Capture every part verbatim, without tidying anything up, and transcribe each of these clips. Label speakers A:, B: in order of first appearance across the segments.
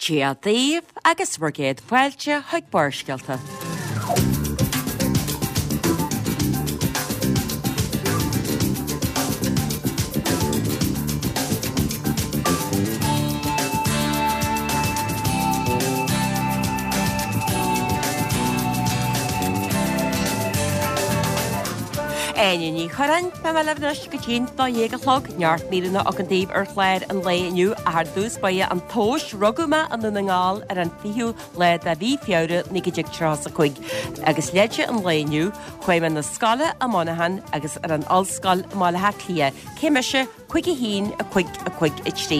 A: Dia daoibh agus bhur gcéad fáilte chuig Barrscéalta. Áine Ní Churráin, beidh mé libh anois go dtí'n dó dhéag a chlog, neart míreanna againn daoibh ar chlár an lae inniu ach ar dtús báire an tomhas, rugadh mé i nDún na nGall ar an fichiú lá de mhí Feabhra naoi déag tríocha is a cúig agus leide an lae inniu, chuaigh mé na scoile i Monaghan agus ar an ollscoil i mBaile Átha Cliath, cé mise? cúig a haon, a cúig, a cúig, a trí.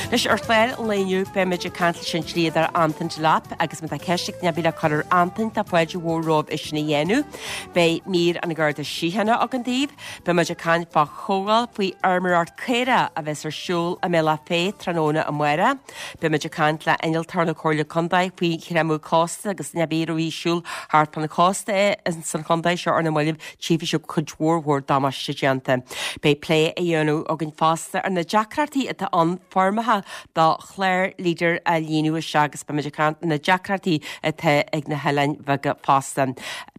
A: Anois ar chlár an lae inniu beimid ag caint leis an dlíodóir Antain Delap agus má tá ceist ag duine ar bith le cur ar Antain tá fáilte mhór romhaibh é sin a dhéanamh. Beidh mír an Gharda Síochána againn daoibh. Beimid ag caint fá chomhdháil faoi fheirmeoireacht caorach a bheas ar siúl i mBealach Féich tráthnóna amárach. Beimid ag caint le innealtóir na Comhairle Contae faoi chreimeadh cósta agus duine ar bith a raibh ag siúl thart fán chósta ins an chontae seo ar na mallaibh tchífidh sibh cuid mhór mhór damáiste déanta. Beidh plé á dhéanamh againn fosta ar na deacrachtaí atá ann foirmeacha do chlár Leader a líonadh isteach agus beimid ag caint ar na deacrachtaí atá ag na hoileáin bheaga fosta.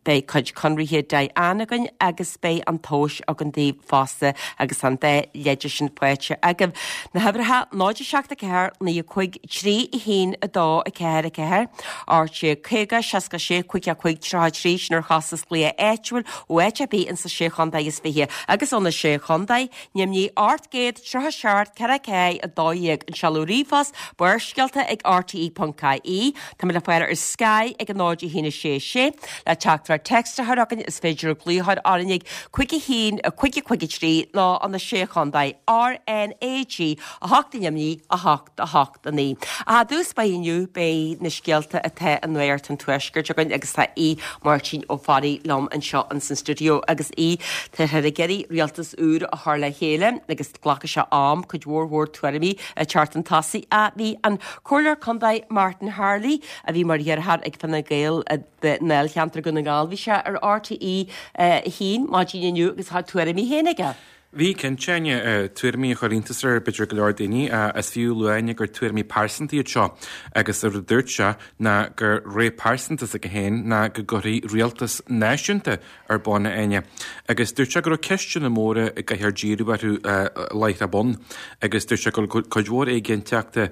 A: Beidh cuid conraithe Diane againn agus beidh an tomhas againn daoibh fosta agus an dá leide sin faighte agaibh. Na huimhreacha náid a seacht a ceathair naoi a cúig trí a haon a dó a ceathair a ceathair, ocht déag caoga seasca sé cúig a cúig tríocha trí sin ar chostas glaoch áitiúil ó áit ar bith ins na Sé Chontae is Fiche agus ó na Sé Chontae, Nimhní ocht gcéad tríocha seacht ceithre ceathair a dó dhéag, an seoladh ríomhphost, Barrscéalta ag rte ponc ie. Táimid le fáil ar Sky ag a náid a haon a sé sé. Le teachtaireacht téacs a chur chugainn is féidir glaoch a chur orainn ag cúig a haon a cúig a cúig a trí nó ó na Sé Chontae, RnaG a hocht i nDoimní a hocht a hocht a naoi. Ach i dtús báire inniu beidh na scéalta atá i Nuacht an Tuaiscirt againn agus tá Aodh Máirtín Ó Fearraigh liom anseo ins an stiúideo agus Aodh, táthar ag iarraidh rialtas úr a chur le chéile agus glacfaidh sé am cuid mhór mhór tuairimí a teacht chun tosaigh. Ach bhí an Comhairleoir Contae Martin Harley, a bhí mar iarrthóir ag Fine Gael i ndáilcheantar Dhún na nGall, bhí sé ar RTÉ a haon maidin inniu agus tá a tuairimí féin aige.
B: Bhí, cinnte, Áine, tuairimí a chuir iontas ar b'fhéidir go leor daoine. Is fiú a lua, Áine, gur tuairimí pearsanta iad seo agus an rud a dúirt sé ná gur rogha pearsanta s'aige féin ná go gcuirfí rialtas náisiúnta ar bun, a Áine. Agus dúirt sé go raibh ceisteanna móra a gcaithfear díriú orthu láithreach bonn agus dúirt sé go bhfuil cuid mhór éiginnteachta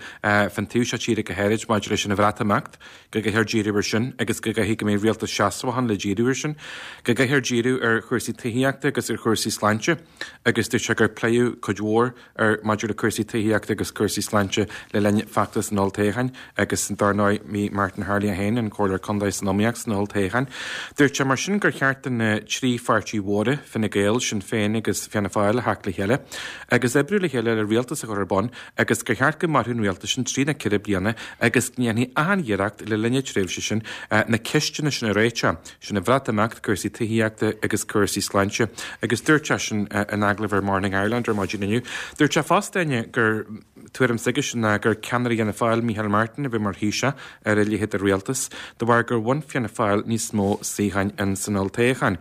B: fán taobh seo tíre go háirid maidir leis an Bhreatimeacht, go gcaithfear díriú air sin agus go gcaithfidh go mbeidh rialtas seasmhach ann le díriú air sin, go gcaithfear díriú ar chúrsaí tithíochta agus ar chúrsaí sláinte. Agus dúirt sé gur pléadh cuid mhór ar maidir le cúrsaí tithíochta agus cúrsaí sláinte le linn feachtas an olltoghcháin agus dar ndóigh bhí Martin Harley é féin, an Comhairleoir Contae san iomaíocht san olltoghchán. Dúirt sé mar sin gur cheart do na trí pháirtí mhóra, Fine Gael, Sinn Féin agus Fianna Fáil a theacht le chéile agus oibriú le chéile le rialtas a chur ar bun agus gur cheart go mairfeadh an rialtas sin trí nó ceithre bliana agus go ndéanfaí achan iarracht le linn na tréimhse sin na ceisteanna sin a réiteach. Sin an Bhreatimeacht, cúrsaí tithíochta agus cúrsaí sláinte. Agus dúirt seisean in agallamh ar Morning Ireland ar maidin inniu, dúirt sé fosta, Áine, gur tuairim s'aigesean ná gur ceannaire Fhianna Fáil, Micheál Martin, a bheadh mar Thaoiseach ar a leithéid de rialtas, de bharr gur bhain Fianna Fáil níos mó suíocháin ins an olltoghchán.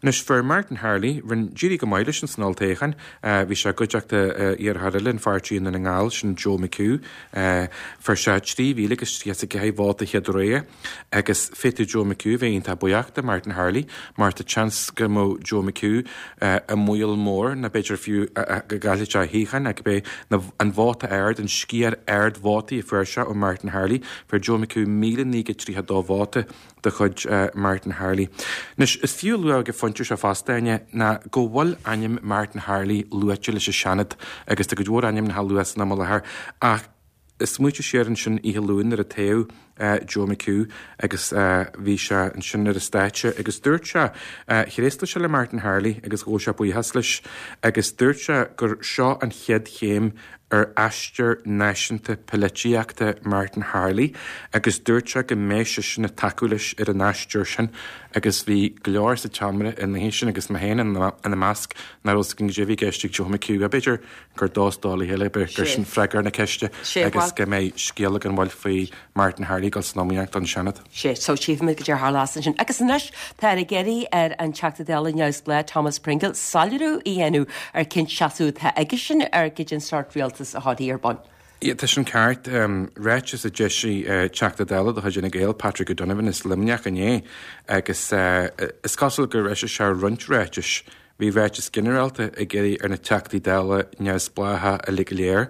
B: Anois, fuair Martin Harley, rinne, d'éirigh go maith leis ins an olltoghchán. Bhí sé i gcuideachta iarrthóir eile an pháirtí i nDún na nGall, sin Joe McHugh. Fuair sé trí mhíle agus tríocha is a ceathair vóta chéad rogha agus féadfaidh Joe McHugh a bheith iontach buíoch de Martin Harley mar tá seans go mbeadh Joe McHugh i mbaol mór nó b'fhéidir fiú go gcaillfeadh sé a shuíochán ach cibé an vóta ard, an sciar ard vótaí a fuair sé ó Martin Harley, fuair Joe McHugh míle naoi gcéad tríocha dó vóta de chuid Martin Harley. Anois, is fiú a lua ag an phointe seo fosta, Áine, ná go bhfuil ainm Martin Harley luaite leis an Seanad agus tá cuid mhór ainmneacha á lua san am i láthair ach smaointigh siar ansin oíche Luain nuair a toghadh Joe McHugh agus bhí sé ansin ar an stáitse agus dúirt sé, thréaslaigh sé le Martin Harley agus ghabh sé buíochas leis agus dúirt sé gur seo an chéad chéim ar aistear náisiúnta polaitíochta Martin Harley agus dúirt sé go mbeidh seisean ag tacú leis ar an aistear sin agus bhí go leor sa tseomra an oíche sin agus mé féin ina measc nach raibh fhios againn goidé a bhí i gceist ag Joe McHugh. B'fhéidir gur dó is dó le chéile, gur sin freagra ar na ceiste agus go mbeidh scéal againn bhuel faoi Martin Harley ag dul san iomaíocht don Seanad.
A: Sea, so tchífimid goidé a tharlós ansin. Agus anois táthar ag iarraidh ar an Teachta Dála neamhspleách Thomas Pringle soiléiriú a dhéanamh ar cén seasamh atá aigesean ar goidé an sórt rialtas a chuirfí ar bun.
B: Tá sin ceart ráiteas a d'eisigh Teachta Dála de chuid Fhine Gael Patrick O'Donovan as Luimneach inné agus is cosúil gur eisigh sé roinnt ráitis. Bhí ráiteas ginearálta ag iarraidh ar na Teachtaí Dála neamhspleácha uilig go léir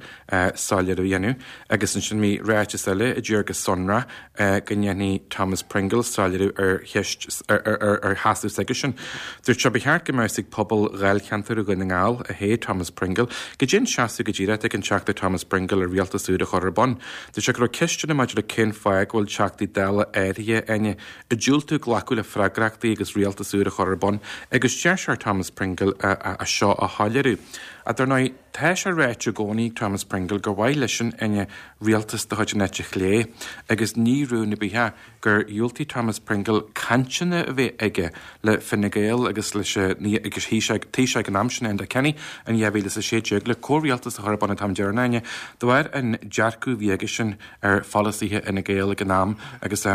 B: soiléiriú a dhéanamh agus ansin bhí ráiteas eile a d'iarr go sonrach go ndéanfaidh Thomas Pringle soiléiriú ar cheist ar sheasamh s'aigesean. Dúirt sé ba cheart go mbeadh ag pobal Dháilcheantar Dhún na nGall a hé Thomas Pringle, goidé an seasamh go díreach ag an Teachta Thomas Pringle ar rialtas úr a chur ar bun. Dúirt sé go raibh ceisteanna maidir le cén fáth go bhfuil Teachtaí Dála áirithe ag diúltú glacadh le freagrachtaí agus rialtas úr a chur ar bun agus deir sé ar Thomas Pringle a seo a shoiléiriú. A dar ndóigh tá sé ráite i gcónaí Thomas Pringle gur mhaith leisean ina rialtas de chuid an eite chlé agus ní rún ar bith é gur dhiúltaigh Thomas Pringle cainteanna a bheith aige le Fine Gael agus leis agus Taoiseach ag an am sin Enda Kenny in dhá mhíle is a sé déag le comhrialtas a chur ar bun an t-am deireanach de bharr an dearcadh a bhí aigesean ar pholasaithe Fhine Gael ag an am agus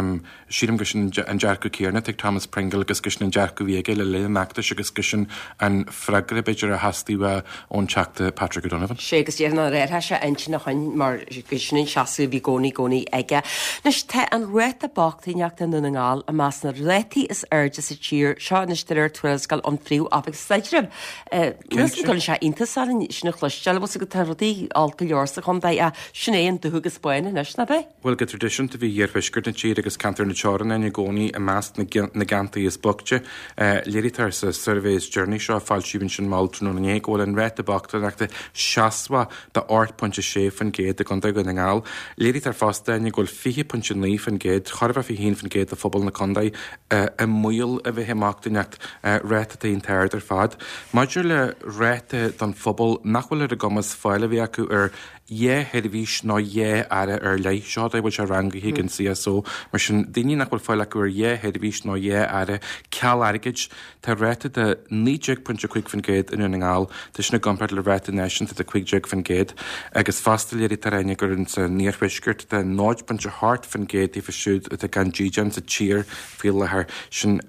B: sílim gur sin an dearcadh céanna ag Thomas Pringle agus gur sin an dearcadh a bhí aige le linn an fheachtais agus gur sin an freagra b'fhéidir a theastaigh ón Teachta Patrick O'Donovan.
A: Sé agus déarfainn nár athraigh sé intinn ó shin mar gur sin an seasamh a bhí i gcónaí gcónaí aige. Anois tá an ráta bochtaineachta i nDún na nGall i measc na rátaí is airde sa tír seo anois de réir tuarascáil ón Phríomh-Oifig Staidrimh. Níl an gcuireann sé iontas orainn sin a chloisteáil, bhfuil 's agat tá rudaí olc go leor sa chontae ach sin é an dubh agus bán anois, nach ea?
B: Bhuel go traidisiúnta bhí iarthuaisceart na tíre agus ceantar na teorann i gcónaí i measc na gceantaí is boichte. Léirítear sa suirbhé is deireanaí seo a foilsíodh ansin mall tráthnóna inné go bhfuil an ráta bochtaineachta seasmhach de ocht pointe sé faoin gcéad i gContae Dhún na nGall. Léirítear fosta go bhfuil fiche pointe naoi faoin gcéad, chóir a bheith fiche haon faoin gcéad de phobal na contae i mbaol a bheith i mbochtaineacht, ráta atá iontach ard ar fad. Maidir le ráta don phobal nach bhfuil ar a gcumas fáil a bheith acu ar dhá sheirbhís nó dhá earra ar leith, seo a bhfuil sé rangaithe ag an CSO, mar sin daoine nach bhfuil fáil acu ar dhá sheirbhís nó dhá earra ceal airgid, tá ráta de naoi déag pointe cúig faoin gcéad i nDún na nGall, tá sin i gcomparáid le ráta náisiúnta de cúig déag faoin gcéad, agus fosta léirítear Áine gur san iarthuaisceart tá náid pointe hocht faoin gcéad díofa siúd atá gan dídean sa tír faoi láthair, sin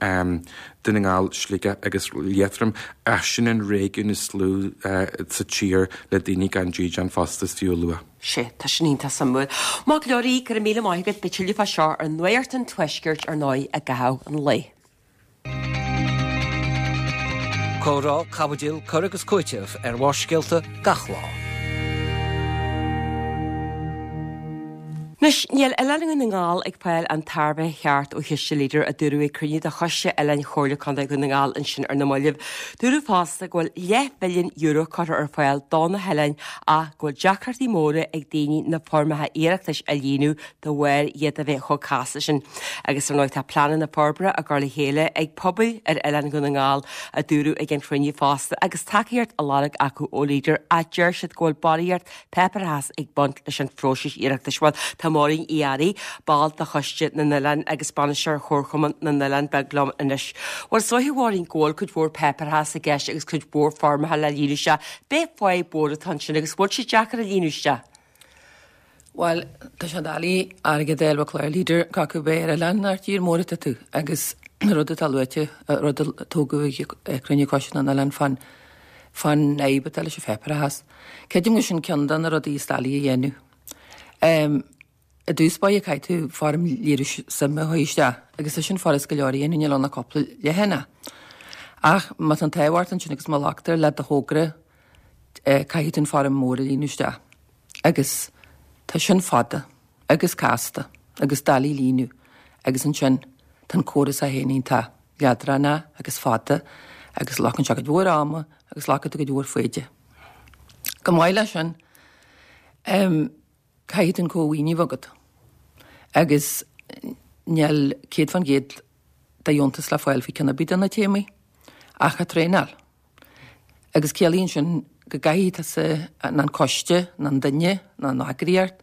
B: Dún na nGall, Sligeach agus Liatroim, ach sin an réigiún is lú sa tír le daoine gan dídean fosta is fiú a lua.
A: Sea, tá sin iontach suimiúil. Maith go leor, go raibh míle maith agat, beidh tuilleadh fá seo ar Nuacht an Tuaiscirt ar ndóigh i gcaitheamh an lae.
C: Comhrá, caibidil, cur agus cúiteamh ar Bharrscéalta gach lá.
A: Anois, níl Oileán Dhún na nGall ag fáil an tairbhe cheart ó chiste Leader a dúradh ag cruinniú de Choiste Oileáin Chomhairle Contae Dhún na nGall ansin ar na mallaibh. Dúradh fosta go bhfuil leathmhilliún euro curtha ar fáil do na hoileáin ach go bhfuil deacrachtaí móra ag daoine na foirmeacha iarratais a líonadh de bharr iad a bheith chomh casta sin. Agus ar ndóigh tá pleananna forbartha á gcur le chéile ag pobail ar Oileán Dhún na nGall a dúradh ag an chruinniú fosta agus tacaíocht á lorg acu ó Leader ach deir siad go bhfuil barraíocht páipéarachais ag baint leis an phróiseas iarratais. Bhuel, tá Máirín Uí Fhearraigh, ball de Choiste na nOileán agus Bainisteoir Chomharchumann na nOileán Beag liom anois. Bhuel, is dóiche, a Mháirín, go bhfuil cuid mhór páipéarachas i gceist agus cuid mhór foirmeacha le líonadh isteach. B'é fadhb mhór atá ansin agus bhfuil sé deacair a líonadh isteach?
D: Bhuel, tá sé doiligh airgead a fháil ó chlár Leader cé acu ar oileán nó ar tír mór atá tú agus rud atá luaite, rud a tógadh ag cruinniú Choiste na nOileán fán fán fhadhb atá leis an pháipéarachas. Creidim gur sin ceann de na rudaí is doilí a dhéanamh. I dtús báire caithfidh tú foirm léiriú suime a chur isteach agus tá sin furast go leor a dhéanamh, níl ann ach cúpla leathanach. Ach má tá an t-ádh ort ansin agus má ghlactar le do thogra caithfidh tú an foirm mór a líonadh isteach. Agus tá sin fada agus casta agus doiligh a líonadh agus ansin tá an córas é féin iontach leadránach agus fada agus glacann sé cuid mhór ama agus glacann tú cuid mhór foighde. Chomh maith leis sin, caithfidh tú an cómhaoiniú a bheith agat agus níl céad fan gcéad de dheontas le fáil faoi ceann ar bith de na téamaí ach an traenáil. Agus ciallaíonn sin go gcaithfidh tusa nó an coiste nó an duine nó an eagraíocht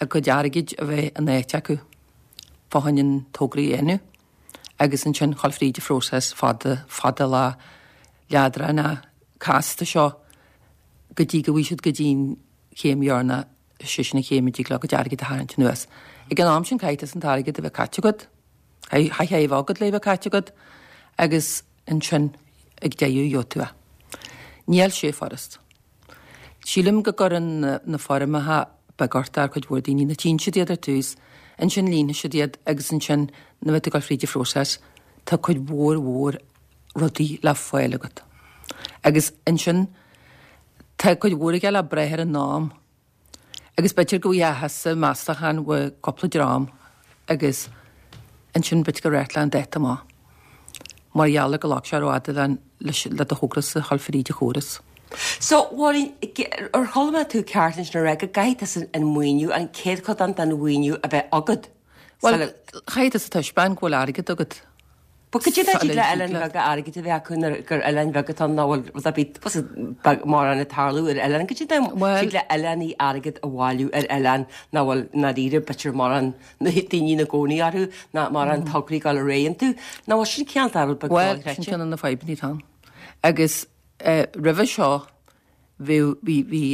D: a gcuid airgid a bheith in áit acu fá choinne an togra a dhéanamh agus ansin dhul fríd an phróiseas fada fada lá leadránach casta seo go dtí go bhfaighidh siad go dtí'n chéim dheireanach sé sin an chéim a dtig leo a gcuid airgid a tharraingt anuas. Ag an am sin caithfidh tusa an t-airgead a bheith caite agat, caithfidh é a bheith agat le bheith caite agat agus ansin ag deireadh gheobhaidh tú é. Níl sé furast. Sílim go gcuireann na foirmeacha beag ort ar chuid mhór daoine, na tchíonn siad iad ar tús, ansin líonann siad iad agus ansin nuair atá tú ag dul fríd an phróiseas tá cuid mhór mhór rudaí le fáil agat. Agus ansin tá cuid mhór aige le breith ar an am. Agus b'fhéidir go bhfaighidh thusa meastachán ó cúpla dream agus ansin b'fhéidir go raibh an dáta amach. Mar gheall ar go ghlac sé rófhada le do thogra-sa a dhul fríd an chóras.
A: So, Mháirín, ar chuala mé tú ceart ansin a rá go gcaithfidh tusa an maoiniú, an chéad chodán den mhaoiniú a bheith agat?
D: Bhuel, caithfidh tusa taispeáint go bhfuil airgead agat.
A: But cad é dtig le oileáin bheaga airgead a bheith acu nuair gur oileáin bheaga atá ann nach bhfuil rud ar bith beag mórán ag tarlú ar oileán. Cad é dtig le oileánaí airgead a bhailiú ar oileán nach bhfuil ndáiríre b'fhéidir mórán daoine ina gcónaí orthu ná mórán tograí ag dul ar aghaidh iontu. Nach bhfuil sin cineál rud beag
D: Bhuel, sin ceann de na fadhbanna atá ann. Agus roimhe seo bhí bhí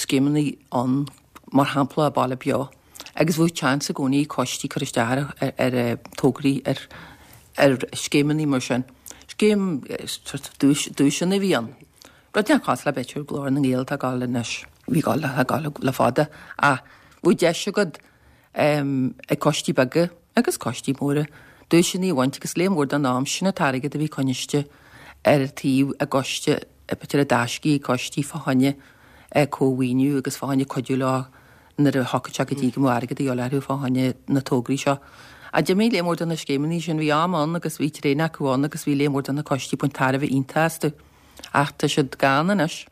D: scéimeanna ann mar shampla Baile Beo agus bhí seans i gcónaí coistí cur isteach ar ar tograí ar ar scéimeanna mar sin. Scéim sort of duais duaiseanna a bhí ann. Rud nach cosúil le b'fhéidir Glór na nGael atá ag dul anois, bhí ag dul ag dul le fada ach bhí deis agat ag coistí beaga agus coistí móra duaiseanna a bhaint agus léar mór den am sin an t-airgead a bhí coinniste ar taobh i gcoiste b'fhéidir i dtaiscí coistí fá choinne cómhaoiniú agus fá choinne cuidiú leo nuair a thiocfadh sé go dtí go mbeadh airgead a dhíobháil orthu fá choinne na tograí seo. Ach d'imigh léar mór de na scéimeanna sin, bhí am ann agus bhí tréan acu ann agus bhí léar mór de na coistí ag baint tairbhe iontach astu. Ach tá siad gann anois.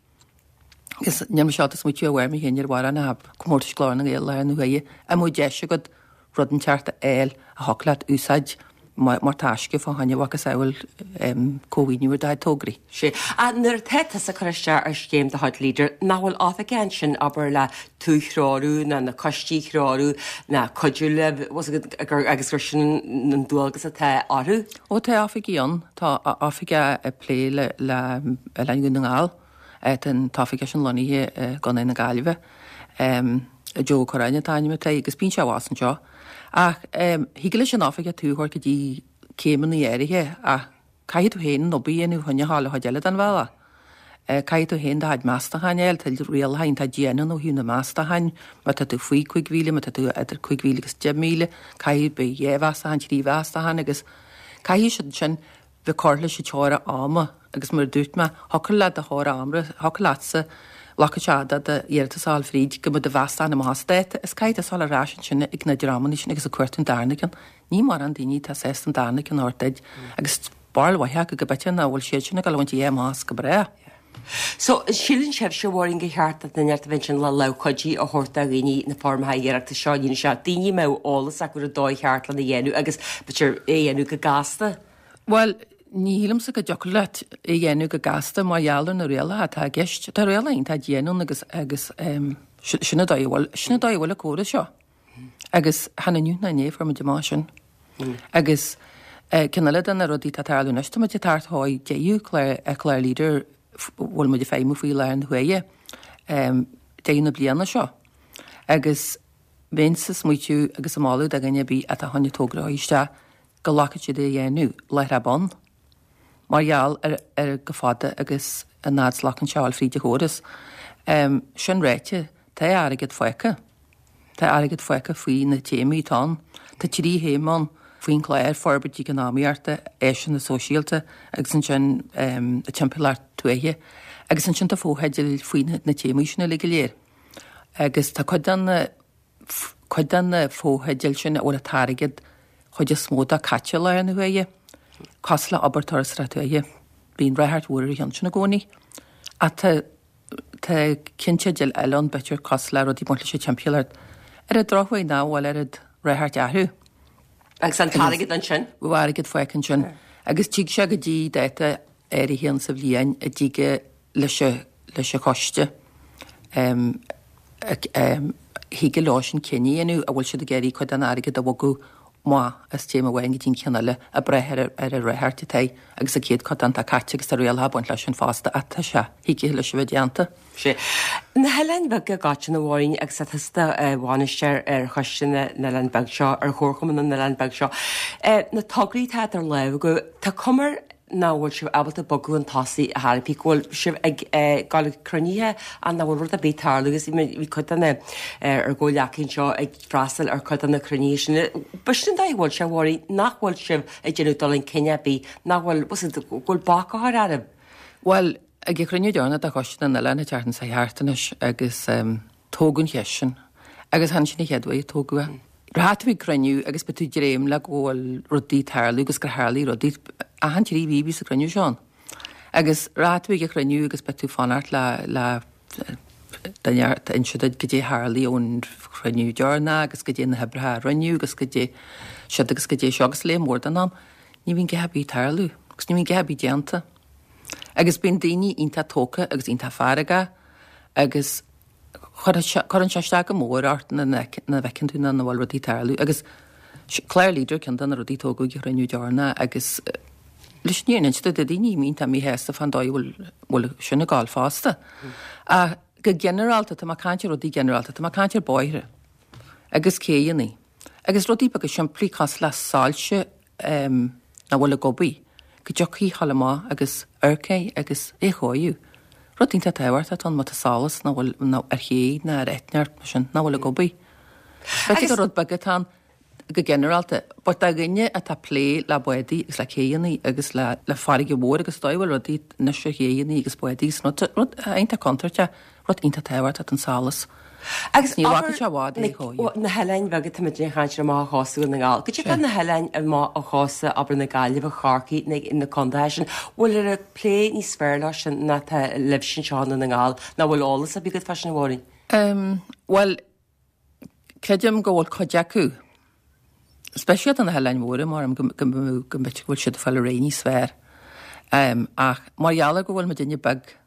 D: Agus níl mise ábalta smaoitiú ar mhair mé féin ar mhórán ach comórtais Ghlór na nGael láthair na huaire, a mbeadh deis agat rud inteacht a fháil a thiocfadh leat úsáid mar taisce fá choinne mhacasamhail cómhaoiniú ar do chuid tograí.
A: Sea. Ach nuair atá tusa ag cur isteach ar scéim de chuid Leader, nach bhfuil oifigeach ansin, abair, le tú a threorú ná na coistí a threorú ná cuidiú libh, agus gur sin an dualgas atá orthu?
D: Ó tá oifigigh ann. Tá oifigeach ag plé le Oileáin Dhún na nGall. Tá an t-oifigeach sin lonnaithe i gContae na Gaillimhe. Joe Ó Curráin an t-ainm atá air agus bíonn sé abhus anseo. Ach thig leis an oifigeach tú a thabhairt go dtí céimeanna áirithe ach caithfidh tú féin an obair a dhéanamh chun a ghabháil an chuid eile den bhealach. Caithfidh tú féin do chuid meastacháin a fháil, tá rialacha iontach dian ann ó thaobh na meastacháin, má tá tú faoi cúig mhíle, má tá tú idir cúig mhíle agus deich míle, caithfidh beidh dhá mheastachán, trí mheastachán agus caithfidh siad sin bheith curtha leis an teora ama agus mar a dúirt mé, thiocfadh le do theora ama, thiocfadh leatsa, ghlacfadh sé fhada d'iarratas a fháil fríd go mbeadh do mheastachán amach as dáta is caithfidh tusa dul ar ais ansin ag na dreamanna sin agus ag cuartú an darna ceann. Ní mórán daoine atá sásta an darna ceann a thabhairt duit agus barúil mhaith acu go b'fhéidir nach bhfuil siad sin ag dul a bhaint a dhath amach as go bráth.
A: So, síleann sibhse, a Mháirín, gur cheart do dhuine inteacht a bheith ansin le lámh chuidí a thabhairt do dhaoine na foirmeacha iarratais seo a líonadh isteach, daoine a mbeadh eolas acu ar an dóigh cheart lena dhéanamh agus b'fhéidir é a dhéanamh go gasta?
D: Bhuel, ní shílimse go dtiocfadh leat é a dhéanamh go gasta mar gheall ar na rialacha atá i gceist. Tá rialacha iontach dian ann agus agus sin an dóigh a bhfuil, sin an dóigh a bhfuil an córas seo. Agus chan inniu ná inné a fuair muid amach sin. Agus ceann eile de na rudaí atá ag tarlú anois, tá muid ag teacht chuig deireadh clár, clár Leader bhfuil muid ag feidhmiú faoi láthair na huaire, deireadh na bliana seo. Agus bheinnse ag smaoitiú agus ag moladh do dhuine ar bith atá chun togra a chur isteach go nglacfadh siad é a dhéanamh láithreach bonn, mar gheall ar ar chomh fada agus an fhad is a ghlacann sé a fháil fríd an chóras. Sin ráite, tá airgead fágtha. Tá airgead fágtha faoi na téamaí atá ann. Tá trí théama ann faoin chlár, forbairt eacnamaíochta, áiseanna sóisialta agus ansin an timpeallacht tuaithe. Agus ansin tá fotheidil faoi na téamaí sin uilig go léir. Agus tá cuid de na cuid de na fotheidil sin a bhfuil an t-airgead chuid is mó de caite i láthair na huaire, cosúil le obair turasóireachta tuaithe. Bíonn ráchairt mhór ar an cheann sin i gcónaí. Ach tá tá ceannteidil eile ann, b'fhéidir, cosúil le rudaí ag baint leis an timpeallacht. Ar an drochuair nach bhfuil oiread ráchairt orthu.
A: Agus an t-airgead ansin?
D: Bhí airgead fágtha ansin. Agus tig sé go dtí dáta áirithe ann sa bhliain a dtig leis an leis an choiste thig leo sin cinneadh a dhéanamh an bhfuil siad ag iarraidh cuid den airgead a bhogadh amach as téama amháin go dtí an ceann eile ag brath ar ar an ráchairt atá agus an chéad codán atá caite agus tá rialacha ag baint leis sin fosta ach tá sé thig leis a bheith déanta.
A: Sea. Na hoileáin bheaga i gcoitinne, a Mháirín, agus tá tusa i do bhainisteoir ar choiste na n-oileán beag seo, ar Chomharchumann na n-oileán beag seo, na tograí atá idir lámha agaibh, tá cuma nach bhfuil sibh ábalta bogadh chun tosaigh ar chor ar bith, go bhfuil sibh ag dul ag cruinnithe ach nach bhfuil rud ar bith ag tarlú agus bhí cuid de na ár gcomhghleacaithe anseo ag freastal ar chuid de na cruinnithe sin. B'shin an dóigh a bhfuil sé, a Mháirín, nach bhfuil sibh ag déanamh dul chun cinn ar bith, nach bhfuil, go bhfuil bac á chur oraibh?
D: Bhuel, ag an chruinniú deireanach de Choiste na nOileán an tseachtain seo thart anois agus tógadh an cheist sin agus chan sin an chéad uair a tógadh é. Rachaidh tú ag cruinniú agus beidh tú ag dréim le go bhfuil rudaí ag tarlú agus gur tharlaigh rudaí. Achan trí mhí bhíos an cruinniú seo ann. Agus rachaidh tú ag an chruinniú agus beidh tú ag fanacht le le duine a inse duit goidé a tharlaigh ón chruinniú deireanach agus goidé na hoibreacha a rinneadh agus goidé siúd agus goidé seo agus lear mór den am ní bhíonn a dhath ar bith ag tarlú agus ní bhíonn a dhath ar bith déanta. Agus bíonn daoine iontach tógtha agus iontach feargach agus Cuireann sé isteach go mór ort nuair a fheiceann tú nach bhfuil rudaí ag tarlú agus clár Leader ceann de na rudaí a tógadh ag an chruinniú deireanach agus leis an fhírinne a inse duit tá daoine iontach míshásta fán dóigh a bhfuil sin ag gabháil fosta. Ach go ginearálta, tá mé ag caint ar rudaí ginearálta, tá mé ag caint ar bóithre agus céidheanna agus rudaí beaga simplí cosúil le soilse nach bhfuil ag obair, go dtiocfaí a ghabháil amach agus amharc air agus é a chóiriú. Rud iontach tábhachtach atá ann má tá solas nach bhfuil nó ar ché ná ar eitneacht mar sin nach bhfuil ag obair. B'fhéidir gur rud beag atá ann go ginearálta, but do dhuine atá ag plé le bádaí agus le céidheanna agus le le farraige mhór agus dóigh a bhfuil rudaí anois ar chéidheanna agus bádaí agus rud rud iontach contúirteach, rud iontach tábhachtach an solas.
A: Agus ní bhfaca sé i bhfad é chóir. Na hoileáin bheaga tá muid ag caint ar amach ó chósta Dhún na nGall. Goidé fá na hoileáin amach ó chósta abair na Gaillimhe, Chorcaí, na na contaetha sin, bhfuil ar an plé níos fearr leo sin ná tá libhse anseo i nDún na nGall? Nó bhfuil eolas ar bith agat fá sin a Mháirín?
D: Bhuel, creidim go bhfuil cuid acu, speisialta na hoileáin mhóra, mar go go go mb'fhéidir go bhfuil siad ag fáil ar aghaidh níos fearr. Ach mar gheall ar go bhfuil muidinne beag,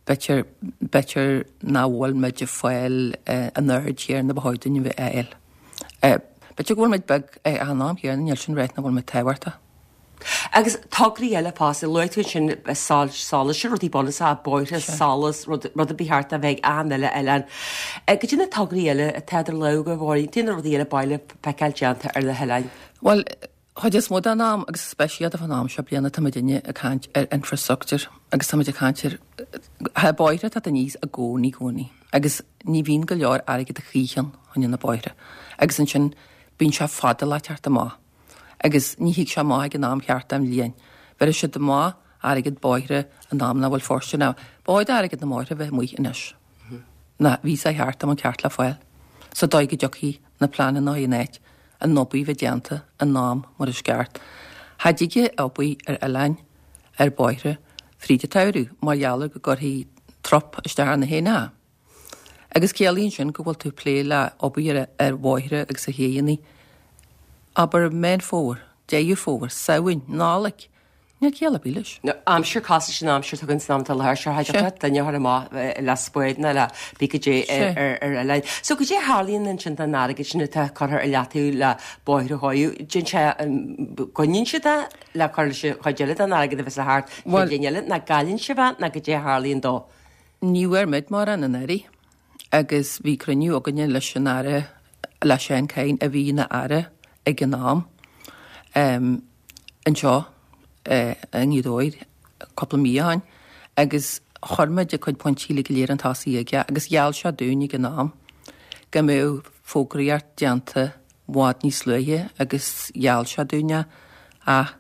D: B'fhéidir, b'fhéidir nach bhfuil muid ag fáil an aird chéanna ba chóir dúinn a bheith a fháil. B'fhéidir go bhfuil muid beag ach an am chéanna níl sin ag ráit nach bhfuil muid tábhachtach.
A: Agus tograí eile fosta, luaigh tú ansin solas, sin rudaí bunúsacha, bóithre, solas, rud rud a ba cheart a bheith ag achan uile oileán. Goidé na tograí eile atá idir lámha agaibh, a Mháirín, goidé na rudaí eile ba mhaith libh feiceáil déanta ar na hoileáin?
D: Bhuel, Chuid is mó den am, agus speisialta fán am seo bliana, tá muidinne ag caint ar infrastructure agus tá muid ag caint ar tá bóithre ag teacht aníos i gcónaí, gcónaí agus ní bhíonn go leor airgead a choíche ann fá choinne na bóithre agus ansin bíonn sé fada le teacht amach agus ní thig sé amach ag an am cheart den bhliain. Bheirfidh siad amach airgead bóithre in am nach bhfuil fóirsteanach. Ba chóir d'airgead na mbóithre bheith amuigh anois. Ná bhí sé thart am an ceart le fáil sa dóigh go dtiocfaidh na pleananna in áit an obair bheith déanta in am mar is ceart. Cha dtig obair ar oileáin, ar bóithre, fríd an tsamhradh mar gheall ar go gcuirfidh trup isteach ar na héanacha. Agus ciallaíonn sin go bhfuil tú ag plé le obair ar bhóithre agus ar chéidheanna, abair Meán Fómhair, Deireadh Fómhair, Samhain, Nollaig. Níl ciall ar bith leis.
A: Aimsir cosúil leis an aimsir atá againn san am atá i láthair seo, cha dtiocfadh duine a chur amach le spád ná le pé goidé ar ar oileáin. So goidé a tharlaíonn ansin don airgead sin atá curtha ar leataobh le bóithre a chóiriú? Déanann sé, goineann siad é le cur leis an chuid eile den airgead a bheas le theacht an chéad bhliain eile, nó cailleann sibh é nó goidé a tharlaíonn dó?
D: Ní bhfuair muid mórán anuraidh agus bhí cruinniú againne leis an Aire, le Seán Kyne a bhí ina Aire ag an am. anseo i nGaoth Dobhair cúpla mí ó shin agus chuir muid a cuid pointí uilig go léir chun tosaigh aige agus gheall sé dúinn ag an am go mbeadh fógraíocht déanta i bhfad níos luaithe agus gheall sé dúinn é ach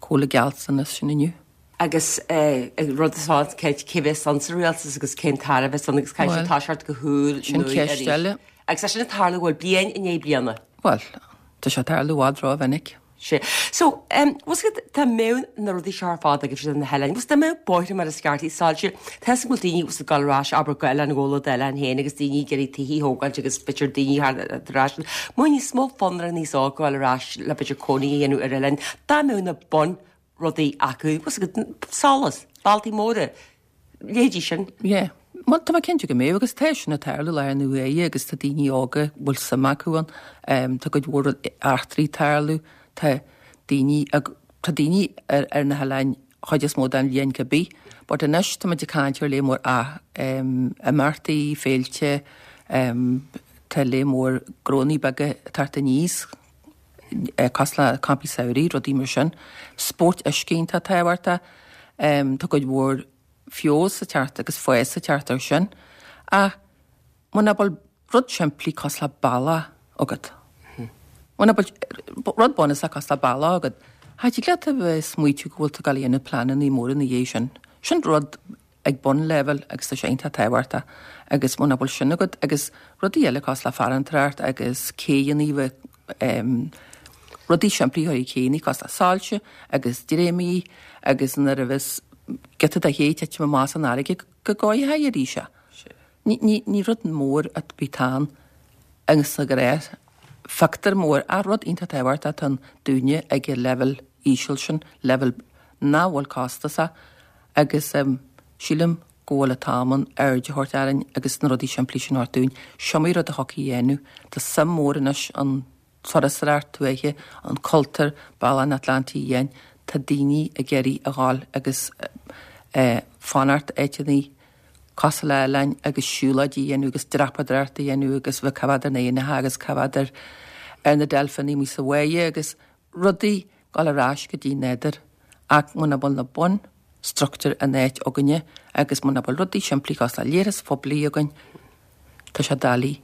D: cá bhfuil an gealltanas sin inniu?
A: Agus rud is ann cé cé bheas ann sa rialtas agus cén t-aire a bheas ann agus caithfidh sé toiseacht go húr
D: Sin
A: nua
D: ceist
A: arís.
D: eile.
A: Agus é sin ag tarlú bhuel bliain i ndiaidh bliana.
D: Bhuel, tá sé ag tarlú i bhfad rómhinic.
A: Sea. So, em, bhfuil a fhios agat, dá mbeadh na rudaí seo ar fad agaibhse ar na hoileáin, bhfuil a fhios agat, dá mbeadh bóithre mar is ceart, soilse, tá a fhios agam go bhfuil daoine bhfuil a fhios agat ag dul ar ais, abair, go Oileán Ghabhla d'oileán féin agus daoine ag iarraidh tithe a thógáilt agus b'fhéidir daoine thar ar ais, mbeadh níos mó fonn ar an aos óg dul ar ais le b'fhéidir cónaí a dhéanamh ar oileáin, dá mbeadh na bun rudaí acu, bhfuil a fhios agat, solas, bealtaí móra, leithéidí sin.
D: Yeah. Bhuel, tá mé cinnte go mbeadh, agus tá sin ag tarlú i láthair na huaire agus tá daoine óga a bhfuil suim acu ann, tá cuid mhór eachtraí ag tarlú, tá daoine, tá daoine ar, ar na hoileáin chuid is mó den bhliain cibé, but anois tá muid ag caint ar lear mór ah, imeachtaí, féilte, tá lear mór gnónnaí beaga ag teacht aníos, cosúil le campaí samhraidh, rudaí mar sin. Spórt uisce iontach tábhachtach. Tá cuid mhór feabhas ag teacht agus fás ag teacht air sin. Ach muna bhfuil rud simplí cosúil le bealach agat, muna bhfuil rud bunúsach cosúil le bealach agat, cha dtig leat a bheith ag smaoitiú go bhfuil tú ag dul a dhéanamh pleananna móra ina dhiaidh sin. Sin rud ag bunleibhéal agus tá sé iontach tábhachtach agus muna bhfuil sin agat agus rudaí eile cosúil le farantóireacht agus céanna bheith rudaí simplí a chur ar céanna cosúil le soilse agus dréimí agus nuair a bheas giota de ché titim amach san fharraige go gcóireofaí arís é. Ní, ní, ní rud mór ar bith atá ann agus sa ghnáth phictiúr mór ach rud iontach tábhachtach atá ann dúinne ag an leibhéal íseal sin, leibhéal nach bhfuil costasach agus sílim go bhfuil an t-am ann aird a thabhairt orainn agus na rudaí simplí sin a thabhairt dúinn. Is iomaí rud a thiocfaidh a dhéanamh. Tá suim mhór anois an turasóireacht tuaithe, an cultúr, Bealach an Atlantaigh Fhiáin, tá daoine ag iarraidh a dhul agus fanacht áiteanna cosúil le oileáin agus siúlóidí a dhéanamh agus dreapadóireacht a dhéanamh agus bheith coimhéad ar na éanacha agus coimhéad ar ar na deilfeanna amuigh sa bháighe agus rudaí dul ar ais go dtí nádúr ach muna bhfuil na bun struchtúir in áit againne agus muna bhfuil rudaí simplí cosúil le leithris phoiblí againn, tá sé doiligh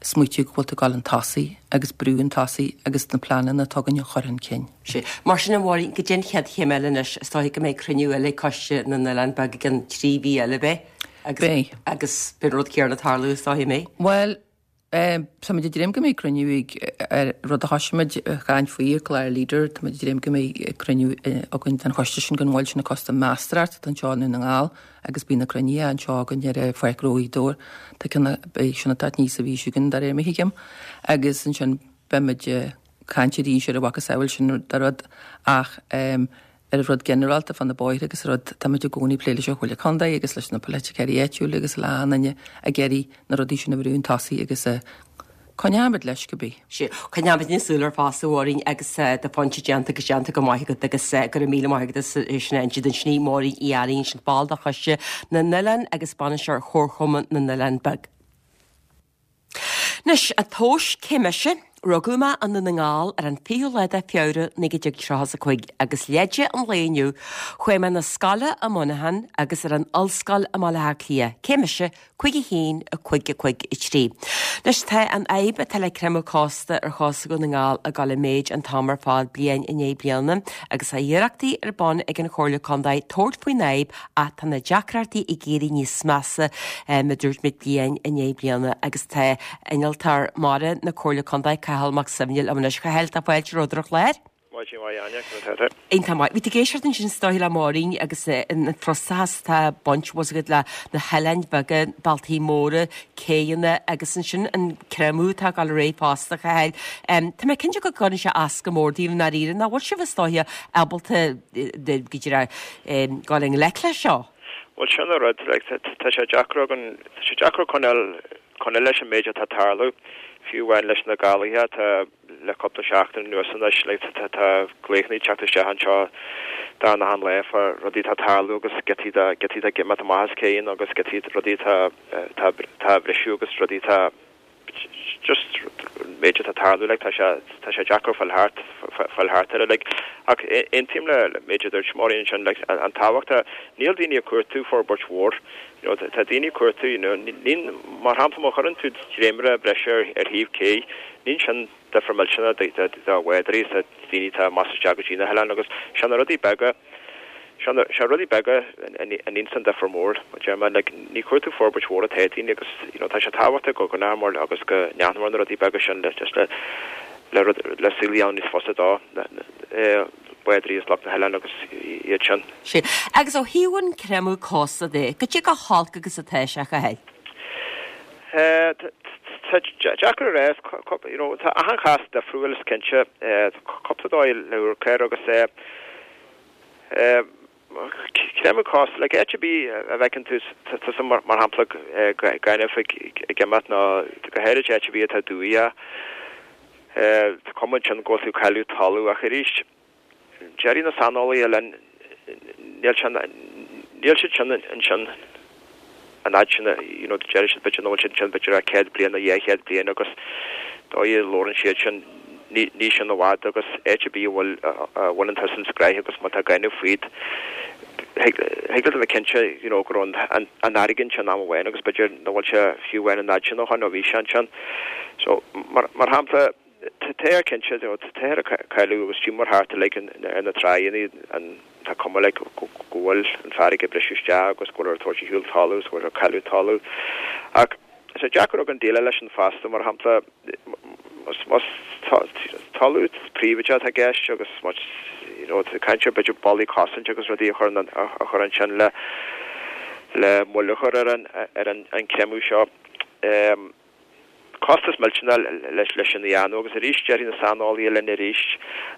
D: smaoitiú go bhfuil tú ag dul chun tosaigh agus brú chun tosaigh agus na pleananna atá againn a chur chun cinn.
A: Sea. Mar sin, a Mháirín, goidé an chéad chéim eile anois, is dóigh go mbeidh cruinniú eile ag Coiste na nOileán Beag i gcionn trí mhí eile, beidh? Agus,
D: Beidh.
A: Agus beidh an rud céanna ag tarlú, is dóigh, an mbeidh?
D: Bhuel, tá muid ag dréim go mbeidh cruinniú ag, ar rud a thosaigh muid ag caint faoi ar chlár Leader, tá muid ag dréim go mbeidh cruinniú againn den choiste sin, den mhol sin, an Coiste Meastóireachta atá anseo i nDún na nGall agus bíonn na cruinnithe anseo againn ar Pháirc Ghnó Ghaoth Dobhair. Tá ceann, beidh sin ag teacht aníos an mhí seo chugainn de réir mar a thuigim. Agus ansin beidh muid ag caint arís ar a mhacasamhail sin de rud ach ar an rud ginearálta fá na bóithre agus rud, tá muid i gcónaí ag plé leis an Chomhairle Contae agus leis na polaiticeoirí áitiúla agus le achan duine ag iarraidh na rudaí sin a bhrú chun tosaigh agus coinneoimid leis cibé.
A: Sea, coinneoimid súil air fosta, a Mháirín, agus do phointe déanta agus déanta go maith agat agus go raibh míle maith agat as sin a inse dúinn. Sin í Máirín Uí Earaín, sin ball de Choiste na nOileán agus Bainisteoir Chomharchumann na nOileán Beag. Anois, an tomhas cé mise? Rugadh mé i nDún na nGall ar an fichiú lá de Feabhra naoi déag tríocha is a cúig agus leide an lae inniu, chuaigh mé 'na scoile i Muineachán agus ar an ollscoil i mBaile Átha Cliath. Cé mise? Cúig a haon, a cúig, a cúig, a trí. Anois tá an fhadhb atá le creimeadh cósta ar chósta Dhún na nGall ag dul i méid an t-am ar fad bliain i ndiaidh bliana agus tá iarrachtaí ar bun ag an Chomhairle Contae tabhairt faoin fhadhb ach tá na deacrachtaí ag éirí níos measa mar a dúirt muid bliain i ndiaidh bliana agus tá innealtóir mara na Comhairle Contae, Cathal Mac Suibhne liom anois. A Chathail, tá fáilte romhat ar an chlár.
E: Maidin mhaith, Áine, conas tá tú?
A: Iontach maith. Bhí tú ag éisteacht ansin is dóigh le Máirín agus an frustrachas atá ag baint bhfuil fhios agat le na hoileáin bheaga, bealtaí móra, céanna agus ansin an creimeadh atá ag dul ar aghaidh fosta, a Chathail. Tá mé cinnte go gcuireann sé as go mór daoibh i ndáiríre, nach bhfuil sibh is dóiche ábalta go díreach dul i ngleic leis seo?
E: Bhuel, sin an rud, like, tá sé deacair againn, tá sé deacair coinneáil, coinneáil leis an méid atá ag tarlú, fiú amháin leis na gálaithe atá le cúpla seachtain anuas anois, like, tá, tá glaochanna ag teacht isteach anseo beagnach achan lá fá rudaí atá ag tarlú agus giotaí de, giotaí atá ag imeacht amach as céanna agus giotaí, rudaí atá, atá, atá á bhriseadh agus rudaí atá, just an méid atá ag tarlú like tá sé tá sé deacair fáil thart fáil thart air like ach aontaím le le méid a dúirt Máirín ansin like an tábhacht níl daoine ag cuartú forbairt mhór you know tá daoine ag cuartú you know ní mar shampla má chuireann tú dréimire breise ar ar thaobh cé níl sin difear millteanach do do do bhádóirí is do daoine atá amach is isteach go dtí na hoileáin agus sé na rudaí beaga Sé na rudaí beaga a níonns an difear mór, a deir mé. Like, ní cuartú forbairt mhór atá ag daoine agus, you know, tá sé tábhachtach go gcoinneomar agus go n-aithneomar na rudaí beaga sin le just le le rud le saol a dhéanamh níos fusa do na bádóirí is lucht na hoileáin agus iad sin.
A: Sea. Agus ó thaobh an creimeadh cósta de, goidé chomh holc agus atá sé, a Chathail?
E: Eh, tá deacair a rá, you know, tá achan chás difriúil is cinnte, cúpla dóigh le amharc air agus eh, Creimeadh cósta, like áit ar bith a bhfeiceann tú tusa mar shampla gaineamh ag imeacht nó go háirid áit ar bith atá dumhach, tá cuma ansin go bhfuil tú ag cailleadh talamh ach arís déarfaidh na saineolaithe linn níl sé níl siad sin ansin an fhad sin you know déarfaidh siad b'fhéidir nach bhfuil siad ansin b'fhéidir ach céad bliain nó dhá chéad bliain agus dóigh a labhrann siad sin ní ní sin i bhfad agus áit ar bith a bhfuil a bhaineann tusa an scraith agus má tá gaineamh fríd thig leat a bheith cinnte you know go raibh an an fharraige ansin am amháin agus b'fhéidir nach bhfuil sé fiú amháin an fhad sin ó shin ó bhí sé ansin. So mar mar shampla tá cinnte you know tá ag cailleadh agus tíomar thart uilig ar na tráigheanna an tá cuma like go bhfuil an farraige ag briseadh isteach agus go bhfuil ar tabhairt ar shiúl talamh agus go bhfuil ar cailleadh talamh. Ach is é deacair againn déileáil leis an fosta mar shampla más talamh príobháideach atá i gceist agus más you know tá caint ar b'fhéidir ballaí cosaint agus rudaí a chur a chur ansin le le moill a chur ar an ar an an creimeadh seo. Um, costas millteanach leis leis sin a dhéanamh agus arís déarfaidh na saineolaithe linn arís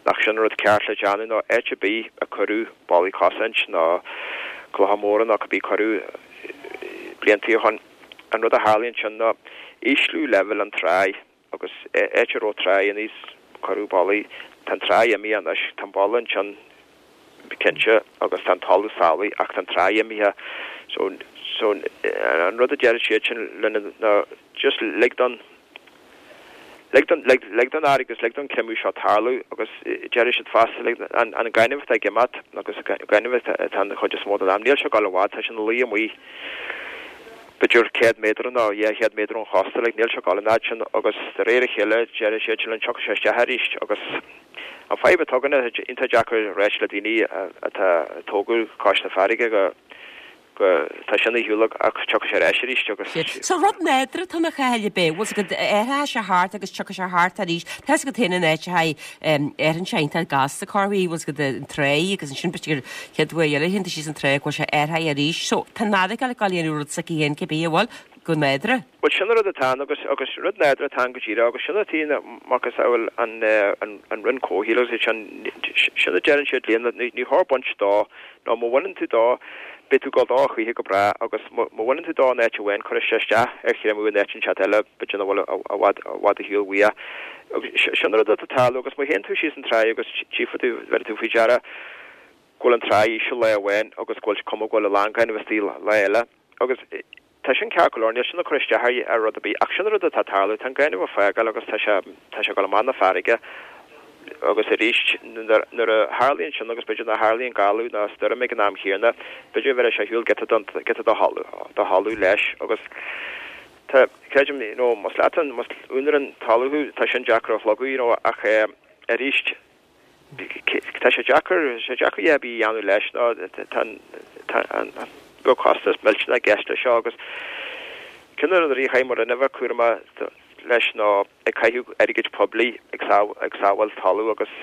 E: nach sin an rud ceart le déanamh nó áit ar bith a cuireadh ballaí cosaint nó clocha móra nó cibé cuireadh blianta ó shin an rud a tharlaíonn sin ná ísliú leibhéal an tráigh agus áit a raibh tráigh aníos cuireadh ballaí tá an tráigh imithe anois tá an balla ansin cinnte agus tá an talamh salach ach tá an tráigh imithe so so an rud a deir siad sin linn ná just lig don lig don lig lig don fharraige agus lig don creimeadh seo tarlú agus deir siad fosta lig an an gaineamh atá ag imeacht agus gaineamh atá an chuid is mó den am níl sé ag dul i bhfad tá sé ina luí amuigh b'fhéidir céad méadar nó dhá chéad méadar ón chósta like níl sé ag dul an fhad sin agus de réir a chéile deir siad sin linn tiocfaidh sé isteach arís agus an fadhb atá againne iontach deacair a ráit le daoine atá tógadh cois na farraige go go tá sin ar shiúl ach tiocfaidh sé ar ais arís agus.
A: So rud nádúrtha atá ann a Chathail ab é, bhfuil 's agat athraíonn sé thart agus tiocfaidh sé thart arís. Tá 's agat féin an áit a haghaidh athraíonn sé iontach gasta corruair, bhfuil 's agat an tráigh agus ansin b'fhéidir chéad uair eile théann tú síos an tráigh go bhfuil sé athraithe arís. So tá an fharraige ag dul a dhéanamh rud s'aici féin cibé an bhfuil go nádúrtha.
E: Bhuel sin an rud atá ann agus agus rud nádúrtha atá ann go díreach agus sin atá macasamhail an an an Roinn Comhshaoil agus sin sin a deireann siad linn ní ní chóir baint dó nó má bhaineann tú dó beidh tú ag dul dó a choíche go breá agus má bhaineann tú dó in áit amháin cuirfidh sé isteach ar chreimeadh in áit inteacht eile b'fhéidir nach bhfuil i bhfad i bhfad ar shiúl uaidh. Agus sin an rud atá ag tarlú agus má théann tú síos an tráigh agus tchífidh tú bheidh tú faoi deara go bhfuil an tráigh íseal lá amháin agus go bhfuil cuma go bhfuil a lán gaineamh istigh lá eile agus tá sin ceart go leor níl sin ag cur isteach ar rud ar bith ach sin an rud atá ag tarlú tá an gaineamh ag fágáil agus tá sé tá sé ag dul amach na farraige agus arís nuair a tharlaíonn sin agus b'fhéidir nuair a tharlaíonn galú nó stoirm ag an am chéanna, b'fhéidir go bhféadfadh sé ar shiúl giota don giota do thalamh leis agus tá creidim you know más leat an más úinéir an talaimh thú tá sin deacair a shlogadh you know ach arís tá sé deacair sé deacair a dhath ar bith a dhéanamh leis nó tá tá an bheadh costas millteanach i gceist leis seo agus ceann de na rudaí a chaithfidh mo Roinn a bheith cúramach leis ná ag caitheamh airgid poiblí ag ag sábháil talamh agus